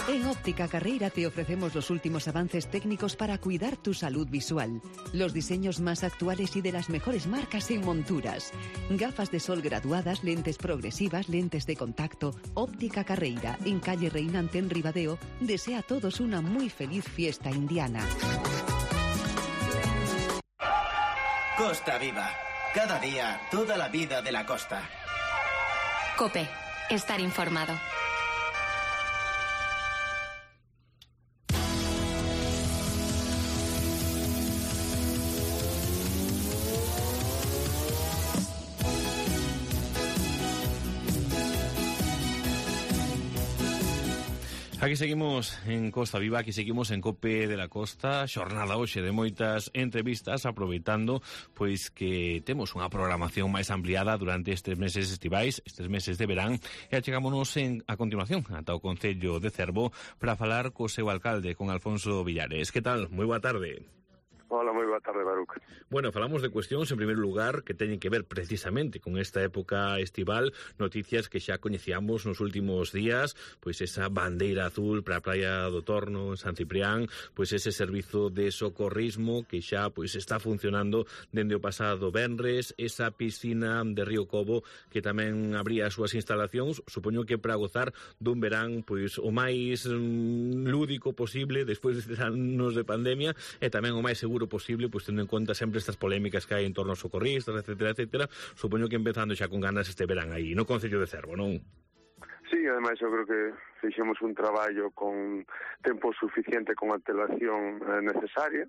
En Óptica Carreira te ofrecemos los últimos avances técnicos para cuidar tu salud visual. Los diseños más actuales y de las mejores marcas en monturas. Gafas de sol graduadas, lentes progresivas, lentes de contacto. Óptica Carreira, en calle Reinante en Ribadeo, desea a todos una muy feliz fiesta indiana.
Costa Viva. Cada día, toda la vida de la costa.
COPE. Estar informado.
Aquí seguimos en Costa Viva, aquí seguimos en COPE de la Costa, xornada hoxe de moitas entrevistas, aproveitando pois que temos unha programación máis ampliada durante estes meses estivais, estes meses de verán, e achegámonos en, a continuación ata o Concello de Cervo para falar co seu alcalde, con Alfonso Villares. Que tal? Moi boa tarde.
Hola, moi boa tarde, Baruch.
Bueno, falamos de cuestións, en primeiro lugar, que teñen que ver precisamente con esta época estival, noticias que xa coñecíamos nos últimos días, pois esa bandeira azul para a Praia do Torno, en San Ciprián, pois ese servizo de socorrismo que xa pois está funcionando dende o pasado venres, esa piscina de Río Cobo que tamén abría as súas instalacións, supoño que para gozar dun verán pois o máis mm, lúdico posible despois de anos de pandemia e tamén o máis seguro posible posible, pues tendo en conta sempre estas polémicas que hai en torno aos socorristas, etcétera, etcétera, supoño que empezando xa con ganas este verán aí, no Concello de Cervo, non?
Sí, ademais eu creo que fixemos un traballo con tempo suficiente, con antelación eh, necesaria,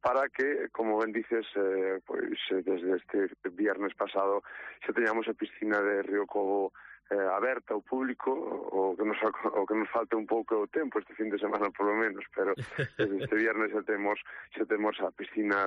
para que, como ben dices, eh, pois desde este viernes pasado xa teñamos a piscina de Río Cobo eh, aberta ao público, o que nos o que nos falta un pouco o tempo este fin de semana polo menos, pero desde este viernes xa temos xa temos a piscina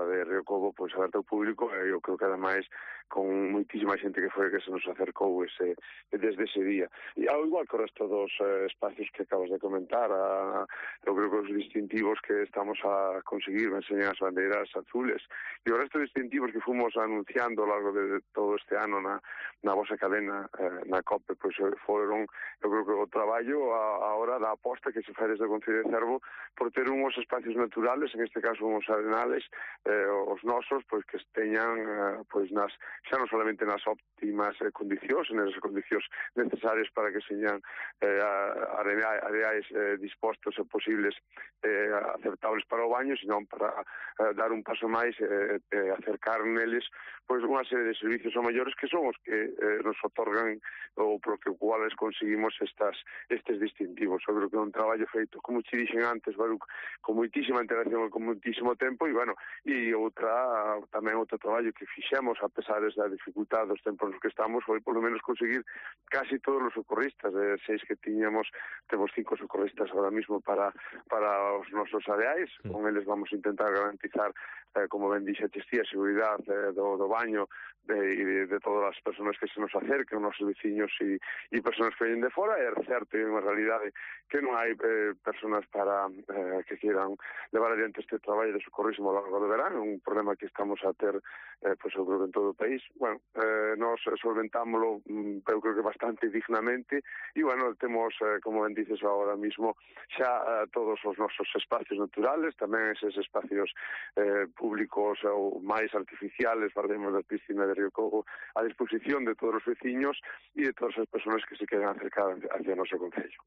de Río Cobo pois aberta ao público, e eu creo que ademais con moitísima xente que foi que se nos acercou ese desde ese día. E ao igual que o resto dos eh, espacios que acabas de comentar, a, eu creo que os distintivos que estamos a conseguir enseñan as bandeiras azules, e o resto de distintivos que fomos anunciando ao largo de todo este ano na, na vosa cadena, eh, na COPE, pois foron, eu creo que o traballo a, a hora da aposta que se fai desde o Concello de Cervo por ter unhos espacios naturales, en este caso unhos arenales, eh, os nosos, pois que teñan eh, pois nas xa non solamente nas óptimas eh, condicións, nas condicións necesarias para que señan eh, areais eh, dispostos e posibles eh, aceptables para o baño, senón para eh, dar un paso máis e eh, eh, acercar neles pois unha serie de servicios ao maiores que son os que eh, nos otorgan ou por que cuales conseguimos estas estes distintivos. Eu creo que é un traballo feito, como te dixen antes, Baruch, con moitísima interacción e con moitísimo tempo, e bueno, e outra tamén outro traballo que fixemos a pesar da dificultade dos tempos nos que estamos foi polo menos conseguir casi todos os socorristas, de seis que tiñamos, temos cinco socorristas ahora mismo para para os nosos areais, con eles vamos a intentar garantizar, eh, como ben dixe, a seguridade eh, do, do baño de, de, de todas as persoas que se nos acerquen, os nosos veciños e, e persoas que venen de fora. É certo, é unha realidade que non hai eh, persoas para eh, que quieran levar adiante este traballo de socorrismo ao largo do verán, un problema que estamos a ter eh, pois, eu creo que en todo o país. Bueno, eh, nos solventámoslo, eu creo que bastante dignamente, e, bueno, temos, eh, como ben dices agora mismo, xa eh, todos os nosos espacios naturales, tamén eses espacios eh, públicos ou máis artificiales, partimos da piscina de Río Cobo, a disposición de todos os veciños e de todas as persoas que se queran acercar hacia o noso concello.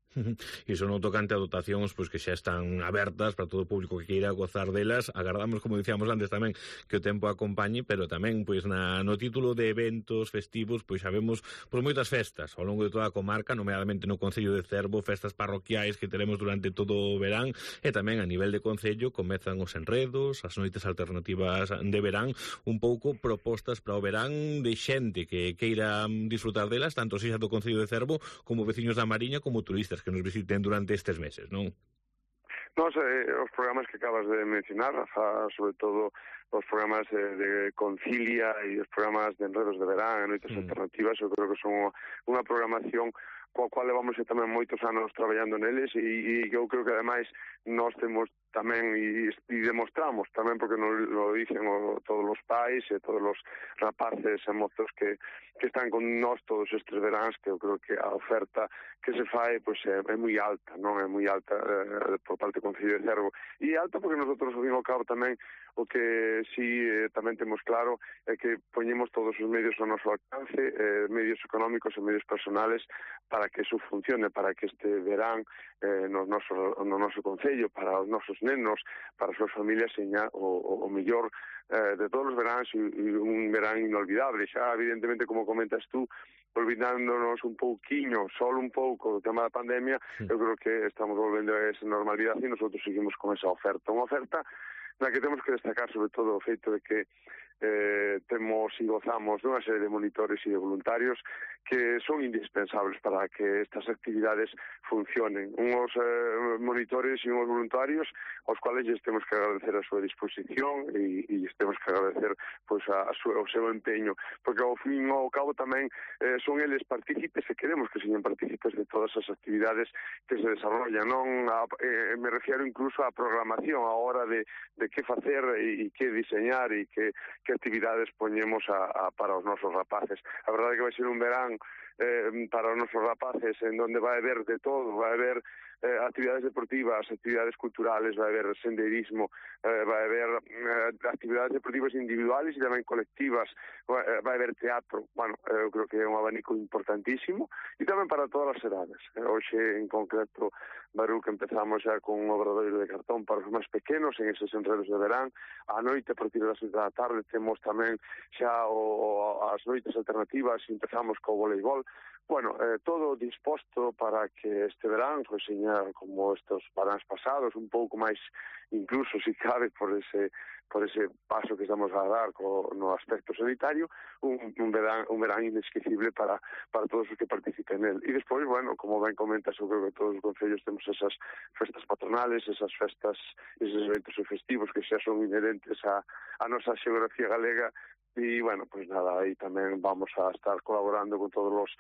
E iso non tocante a dotacións, pois que xa están abertas para todo o público que queira gozar delas. Agardamos, como dicíamos antes tamén, que o tempo acompañe, pero tamén, pois, na, no título de eventos festivos, pois sabemos por moitas festas ao longo de toda a comarca, nomeadamente no Concello de Cervo, festas parroquiais que teremos durante todo o verán, e tamén a nivel de Concello comezan os enredos, as noites alternativas de verán, un pouco propostas para o verán de xente que queira disfrutar delas, tanto xa do Concello de Cervo como veciños da Mariña, como turistas que nos visiten durante estes meses, non?
Nos, eh, os programas que acabas de mencionar, Rafa, sobre todo os programas de, de Concilia e os programas de enredos de verán e noites mm. alternativas, eu creo que son unha programación coa cual levamos tamén moitos anos traballando neles, e, e eu creo que ademais nós temos tamén e, e demostramos tamén, porque nos lo dicen o, todos os pais e todos os rapaces e mozos que, que están con nós todos estes veráns, que eu creo que a oferta que se fai pois é, é moi alta, non é moi alta eh, por parte do Concello de Cervo, e alta porque nosotros ao fin ao cabo tamén o que si eh, tamén temos claro é que poñemos todos os medios ao noso alcance, eh, medios económicos e medios personales, para que eso funcione, para que este verán eh, no, noso, no noso concello, para os nosos nenos, para as súas familias, seña o, o, o mellor eh, de todos os veráns, e un verán inolvidable. Xa, evidentemente, como comentas tú, olvidándonos un pouquiño, solo un pouco do tema da pandemia, sí. Eu creo que estamos volvendo a esa normalidade e nosotros seguimos con esa oferta. Unha oferta na que temos que destacar sobre todo o feito de que eh, temos e gozamos dunha serie de monitores e de voluntarios que son indispensables para que estas actividades funcionen. Unhos eh, monitores e unhos voluntarios aos cuales lles temos que agradecer a súa disposición e, e lles temos que agradecer pois, a, a su, o seu empeño, porque ao fin ao cabo tamén eh, son eles partícipes e queremos que señan partícipes de todas as actividades que se desarrollan. Non a, eh, me refiero incluso á programación a hora de, de que facer e, e que diseñar e que, que actividades poñemos a, a, para os nosos rapaces. A verdade é que vai ser un verán eh, para os nosos rapaces en donde vai haber de todo, vai haber eh, actividades deportivas, actividades culturales, vai haber senderismo, eh, vai haber eh, eh, actividades deportivas individuales e tamén colectivas, eh, vai haber teatro, bueno, eu creo que é un abanico importantísimo, e tamén para todas as edades. Eh, hoxe, en concreto, Baruc, empezamos xa con un obradoiro de cartón para os máis pequenos, en eses enredos de verán. A noite, a partir das seis da tarde, temos tamén xa o, as noites alternativas, e empezamos co voleibol. Bueno, eh, todo disposto para que este verán, pues, señor, como estos veráns pasados, un pouco máis, incluso, si cabe, por ese por ese paso que estamos a dar co, no aspecto sanitario, un, un, verán, un verán inesquecible para, para todos os que participen nel. E despois, bueno, como ben comentas, eu creo que todos os concellos temos esas festas patronales, esas festas, esos eventos festivos que xa son inherentes a, a nosa xeografía galega, e, bueno, pues nada, aí tamén vamos a estar colaborando con todos os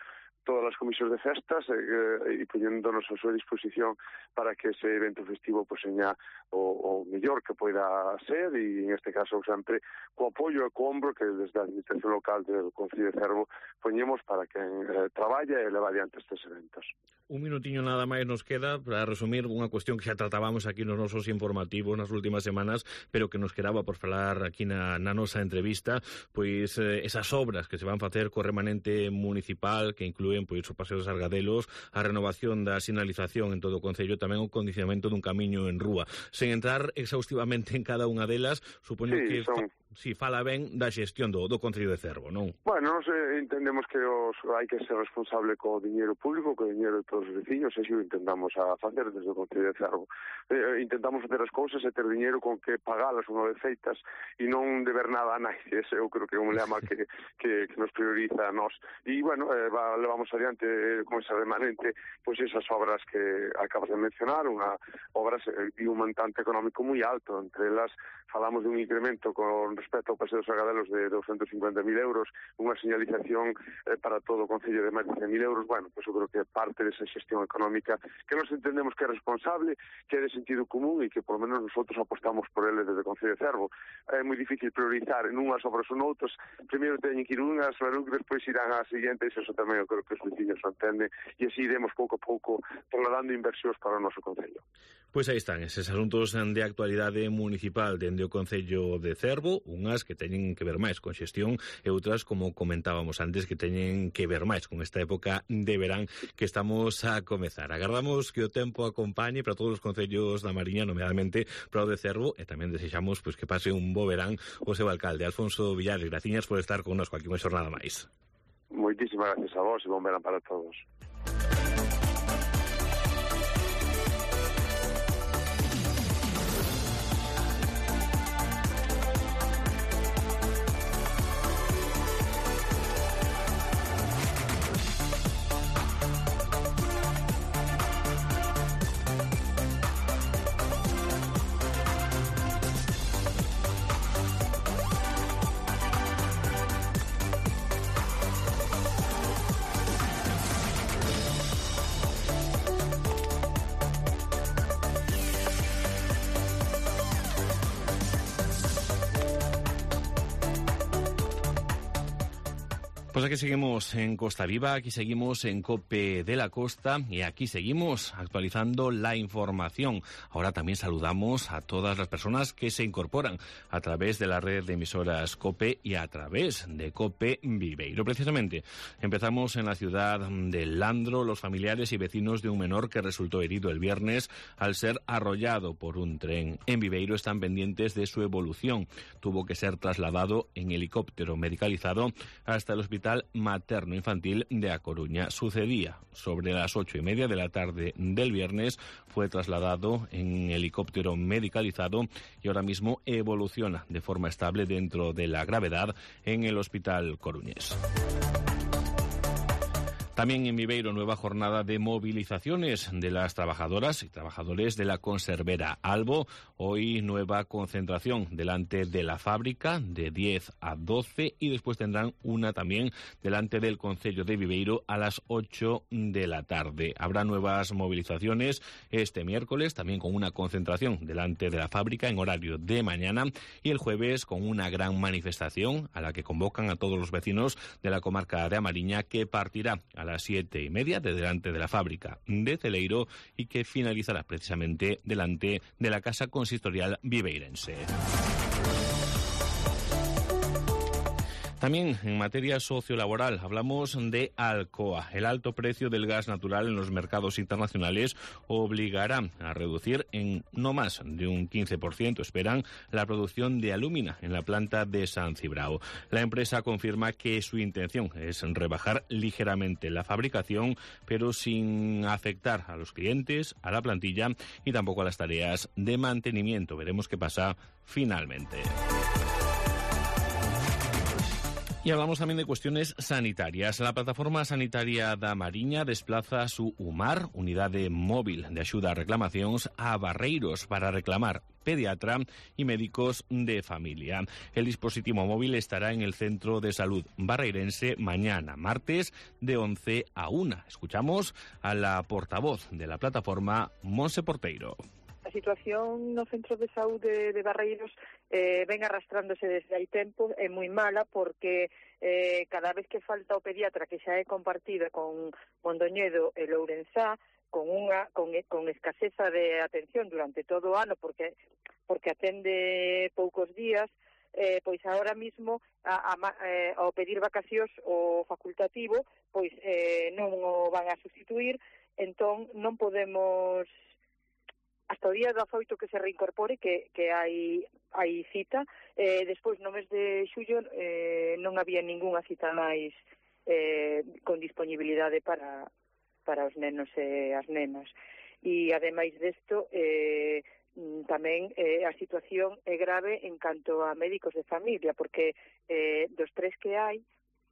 todas as comisións de festas eh, e poñéndonos a súa disposición para que ese evento festivo pues, seña o, o mellor que poida ser, e en este caso sempre co apoio e co ombro que desde a administración local do Concello de Cervo poñemos para que eh, traballa e leva adiante estes eventos.
Un minutiño nada máis nos queda para resumir unha cuestión que xa tratábamos aquí nos nosos informativos nas últimas semanas, pero que nos quedaba por falar aquí na, na nosa entrevista, pois eh, esas obras que se van facer co remanente municipal, que inclúen pois o Paseo dos Argadelos, a renovación da sinalización en todo o Concello, tamén o condicionamento dun camiño en rúa. Sen entrar exhaustivamente en cada unha delas, supoño
sí,
que
son...
fa, si fala ben da xestión do, do Concello de Cervo, non?
Bueno, nos eh, entendemos que os, hai que ser responsable co diñeiro público, co diñeiro de todos os veciños, e xo intentamos a facer desde o Concello de Cervo. Eh, intentamos facer as cousas e ter diñeiro con que pagalas unha vez feitas e non deber nada a nadie. Ese eu creo que é un lema que, que, que nos prioriza a nós. E, bueno, eh, va, levamos adiante eh, con ese remanente pois esas obras que acabas de mencionar, unha obras eh, de un montante económico moi alto. Entre elas falamos de un incremento con respecto ao Paseo dos Argadelos de doscientos cincuenta mil euros, unha señalización eh, para todo o Concello de máis de cen mil euros. Bueno, pues eu creo que parte desa xestión económica que nos entendemos que é responsable, que é de sentido común e que por lo menos nosotros apostamos por ele desde o Concello de Cervo. É moi difícil priorizar en unhas obras ou noutras. Primeiro teñen que ir unhas, despois irán ás seguintes, e eso tamén eu creo que os veciños o entenden, e así iremos pouco a pouco trasladando inversións para o noso Concello.
Pois aí están eses asuntos de actualidade municipal dende o Concello de Cervo, unhas que teñen que ver máis con xestión e outras, como comentábamos antes, que teñen que ver máis con esta época de verán que estamos a comezar. Agardamos que o tempo acompañe para todos os concellos da Mariña, nomeadamente para o de Cervo, e tamén desexamos pois, que pase un bo verán o seu alcalde, Alfonso Villares. Graciñas por estar connosco aquí unha xornada máis.
Moitísimas gracias a vos e bon verán para todos.
Pues aquí seguimos en Costa Viva, aquí seguimos en COPE de la Costa y aquí seguimos actualizando la información. Ahora también saludamos a todas las personas que se incorporan a través de la red de emisoras COPE y a través de COPE Viveiro. Precisamente empezamos en la ciudad de Landro. Los familiares y vecinos de un menor que resultó herido el viernes al ser arrollado por un tren en Viveiro están pendientes de su evolución. Tuvo que ser trasladado en helicóptero medicalizado hasta el hospital materno-infantil de A Coruña. Sucedía sobre las ocho y media de la tarde del viernes, fue trasladado en helicóptero medicalizado y ahora mismo evoluciona de forma estable dentro de la gravedad en el hospital coruñés. También en Viveiro, nueva jornada de movilizaciones de las trabajadoras y trabajadores de la conservera Albo. Hoy nueva concentración delante de la fábrica de diez a doce y después tendrán una también delante del Concello de Viveiro a las ocho de la tarde. Habrá nuevas movilizaciones este miércoles, también con una concentración delante de la fábrica en horario de mañana y el jueves con una gran manifestación a la que convocan a todos los vecinos de la comarca de A Mariña, que partirá a a las siete y media de delante de la fábrica de Celeiro y que finalizará precisamente delante de la Casa Consistorial Viveirense. También en materia sociolaboral hablamos de Alcoa. El alto precio del gas natural en los mercados internacionales obligará a reducir en no más de un quince por ciento, esperan, la producción de alúmina en la planta de San Cibrao. La empresa confirma que su intención es rebajar ligeramente la fabricación, pero sin afectar a los clientes, a la plantilla y tampoco a las tareas de mantenimiento. Veremos qué pasa finalmente. Y hablamos también de cuestiones sanitarias. La plataforma sanitaria da Mariña desplaza su UMAR, unidade móvil de axuda a reclamacións, a Barreiros para reclamar pediatra y médicos de familia. El dispositivo móvil estará en el Centro de Salud Barreirense mañana, martes, de once a una. Escuchamos a la portavoz de la plataforma, Monse Porteiro.
A situación no Centro de Saúde de Barreiros eh, ven arrastrándose desde hai tempo, é moi mala porque eh, cada vez que falta o pediatra que xa é compartida con Mondoñedo e Lourenzá, con unha con, con escaseza de atención durante todo o ano porque porque atende poucos días, eh, pois agora mismo a, a, eh, ao pedir vacacións o facultativo, pois eh, non o van a sustituir, entón non podemos hasta o día dezaoito que se reincorpore, que, que hai, hai cita. Eh, despois, no mes de xullo, eh, non había ningunha cita máis eh, con disponibilidade para, para os nenos e as nenas. E, ademais desto, eh, tamén eh, a situación é grave en canto a médicos de familia, porque eh, dos tres que hai,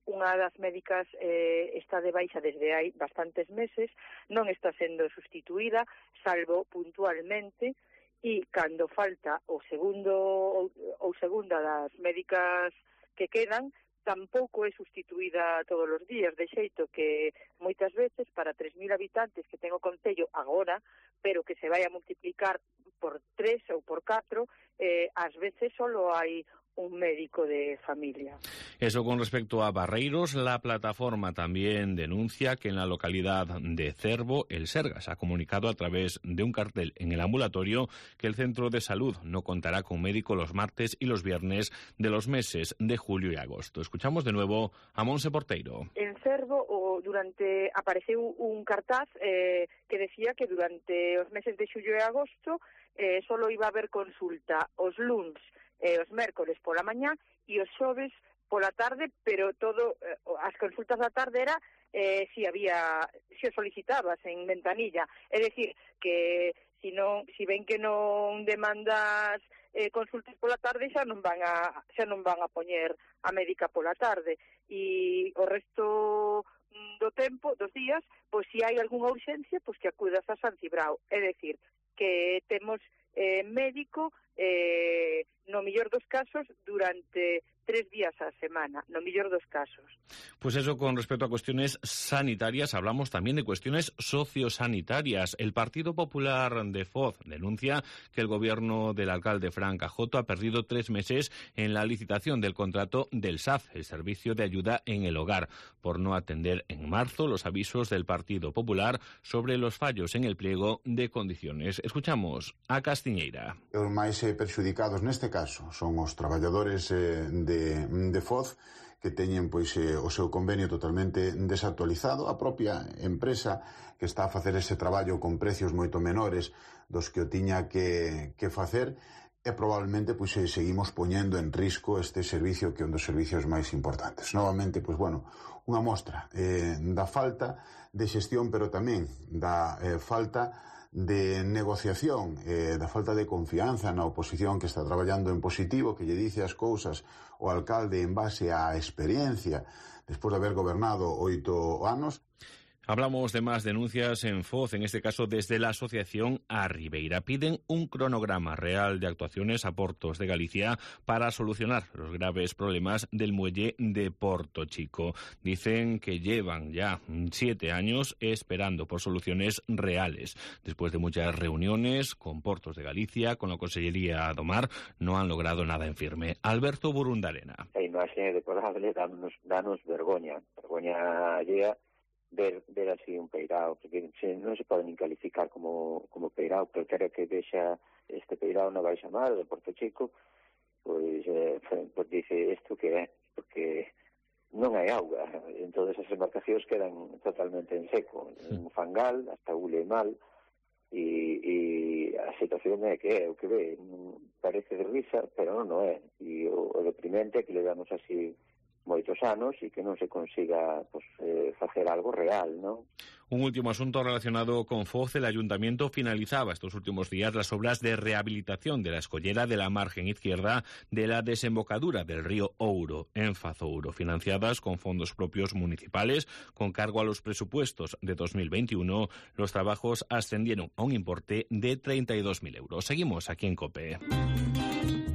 unha das médicas eh, está de baixa desde hai bastantes meses, non está sendo sustituída, salvo puntualmente, e cando falta o segundo ou, ou segunda das médicas que quedan, tampouco é sustituída todos os días, de xeito que moitas veces para tres mil habitantes que ten o concello agora, pero que se vai a multiplicar por tres ou por catro, eh, ás veces solo hai un médico de familia.
Eso con respecto a Barreiros. La plataforma también denuncia que en la localidad de Cervo, el Sergas ha comunicado a través de un cartel en el ambulatorio que el centro de salud no contará con médico los martes y los viernes de los meses de julio y agosto. Escuchamos de nuevo a Monse Porteiro.
En Cervo o durante apareceu un cartaz eh, que decía que durante os meses de xullo e agosto eh, solo iba a haber consulta os luns eh, os mércoles pola mañá e os xoves pola tarde, pero todo eh, as consultas da tarde era eh, si había si o solicitabas en ventanilla, é dicir que si non si ven que non demandas eh, consultas pola tarde xa non van a xa non van a poñer a médica pola tarde e o resto do tempo, dos días, pois si hai algunha urxencia, pois que acudas a San Cibrao, é dicir que temos eh, médico eh, no mellor dos casos durante tres días a semana, no mellor dos casos.
Pues eso con respecto a cuestiones sanitarias. Hablamos también de cuestiones sociosanitarias. El Partido Popular de Foz denuncia que el gobierno del alcalde Fran Cajoto ha perdido tres meses en la licitación del contrato del S A F, el Servicio de Ayuda en el Hogar, por no atender en marzo los avisos del Partido Popular sobre los fallos en el pliego de condiciones. Escuchamos a Castiñeira.
Os máis perxudicados neste caso son os traballadores eh, de De, de Foz que teñen pois eh, o seu convenio totalmente desactualizado, a propia empresa que está a facer ese traballo con precios moito menores dos que o tiña que, que facer e probablemente pois eh, seguimos poñendo en risco este servicio que é un dos servicios máis importantes. Novamente, pois bueno, unha mostra eh, da falta de xestión, pero tamén da eh, falta de negociación, eh, da falta de confianza na oposición que está traballando en positivo, que lle dice as cousas o alcalde en base á experiencia despois de haber gobernado oito anos.
Hablamos de más denuncias en Foz, en este caso desde la asociación A Ribeira. Piden un cronograma real de actuaciones a Portos de Galicia para solucionar los graves problemas del muelle de Porto Chico. Dicen que llevan ya siete años esperando por soluciones reales. Después de muchas reuniones con Portos de Galicia, con la Consellería do Mar, no han logrado nada en firme. Alberto Burundarena.
A imaxe deplorable danos, danos vergoña, vergoña allea ver, ver así un peirao, porque se, non se pode nin calificar como, como peirao, pero quero que vexa este peirao na Baixa Mar de Porto Chico, pois, eh, pois dice isto que é, porque non hai auga, entón as embarcacións quedan totalmente en seco, en fangal, hasta hule mal, e, e a situación é que é o que ve, parece de risa, pero non é, e o, o deprimente é que le damos así moitos anos e que non se consiga pues, eh, facer algo real, ¿no?
Un último asunto relacionado con Foz. El ayuntamiento finalizaba estos últimos días las obras de rehabilitación de la escollera de la margen izquierda de la desembocadura del río Ouro, en Fazouro, financiadas con fondos propios municipales. Con cargo a los presupuestos de dos mil veintiuno, los trabajos ascendieron a un importe de treinta y dos mil euros. Seguimos aquí en COPE.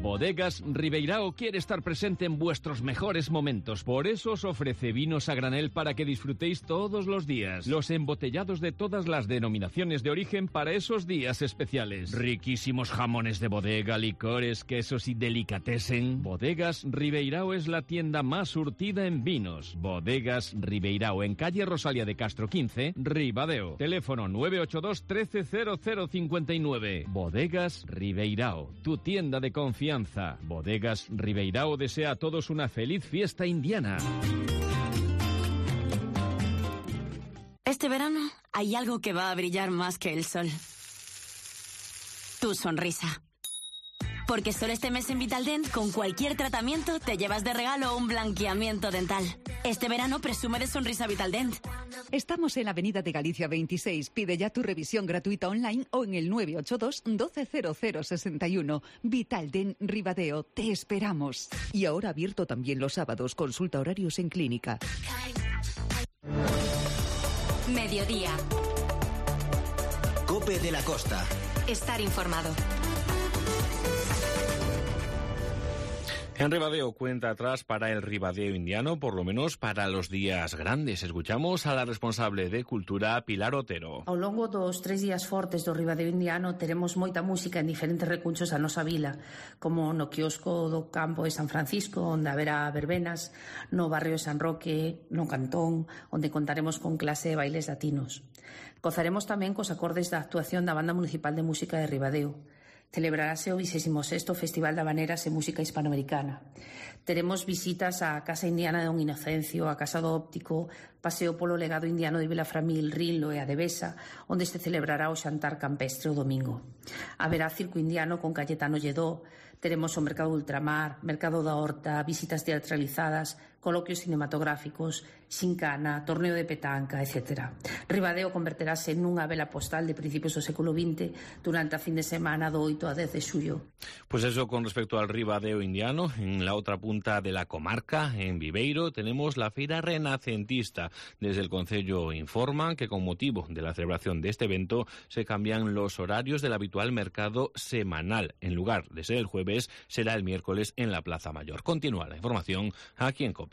Bodegas Ribeirao quiere estar presente en vuestros mejores momentos. Por eso os ofrece vinos a granel para que disfrutéis todos los días. Los embotellados de todas las denominaciones de origen para esos días especiales. Riquísimos jamones de bodega, licores, quesos y delicatessen. Bodegas Ribeirao es la tienda más surtida en vinos. Bodegas Ribeirao, en calle Rosalía de Castro quince, Ribadeo. Teléfono nueve ocho dos, trece, cero cero cincuenta y nueve. Bodegas Ribeirao, tu tienda de confianza. Bodegas Ribeirao desea a todos una feliz fiesta indiana.
Este verano hay algo que va a brillar más que el sol. Tu sonrisa. Porque solo este mes en Vitaldent, con cualquier tratamiento, te llevas de regalo un blanqueamiento dental. Este verano presume de sonrisa Vitaldent.
Estamos en la Avenida de Galicia veintiséis. Pide ya tu revisión gratuita online o en el nueve ocho dos, doce cero cero sesenta y uno. Vitaldent Ribadeo, te esperamos. Y ahora abierto también los sábados. Consulta horarios en clínica.
Mediodía.
COPE de la Costa.
Estar informado.
En Ribadeo, cuenta atrás para el Ribadeo indiano, por lo menos para los días grandes. Escuchamos a la responsable de Cultura, Pilar Otero.
Ao longo dos tres días fortes do Ribadeo indiano teremos moita música en diferentes recunchos a nosa vila, como no quiosco do campo de San Francisco, onde haberá verbenas, no barrio de San Roque, no Cantón, onde contaremos con clase de bailes latinos. Gozaremos tamén cos acordes da actuación da Banda Municipal de Música de Ribadeo. Celebrarase o vigésimo sexto Festival de Habaneras e Música Hispanoamericana. Teremos visitas á Casa Indiana de Don Inocencio, á Casa do Óptico, paseo polo legado indiano de Vilaframil, Rinlo e a Devesa, onde se celebrará o xantar campestre o domingo. Haberá circo indiano con Cayetano Lledó, teremos o Mercado Ultramar, Mercado da Horta, visitas teatralizadas, coloquios cinematográficos, xincana, torneo de petanca, etcétera. Ribadeo converterase nunha vela postal de principios do século vinte durante a fin de semana do oito a dez de xullo.
Pues eso con respecto al Ribadeo indiano. En la otra punta de la comarca, en Viveiro, tenemos la Feira Renacentista. Desde el Concello informan que con motivo de la celebración de este evento se cambian los horarios del habitual mercado semanal. En lugar de ser el jueves, será el miércoles en la Plaza Mayor. Continúa la información aquí en COPE.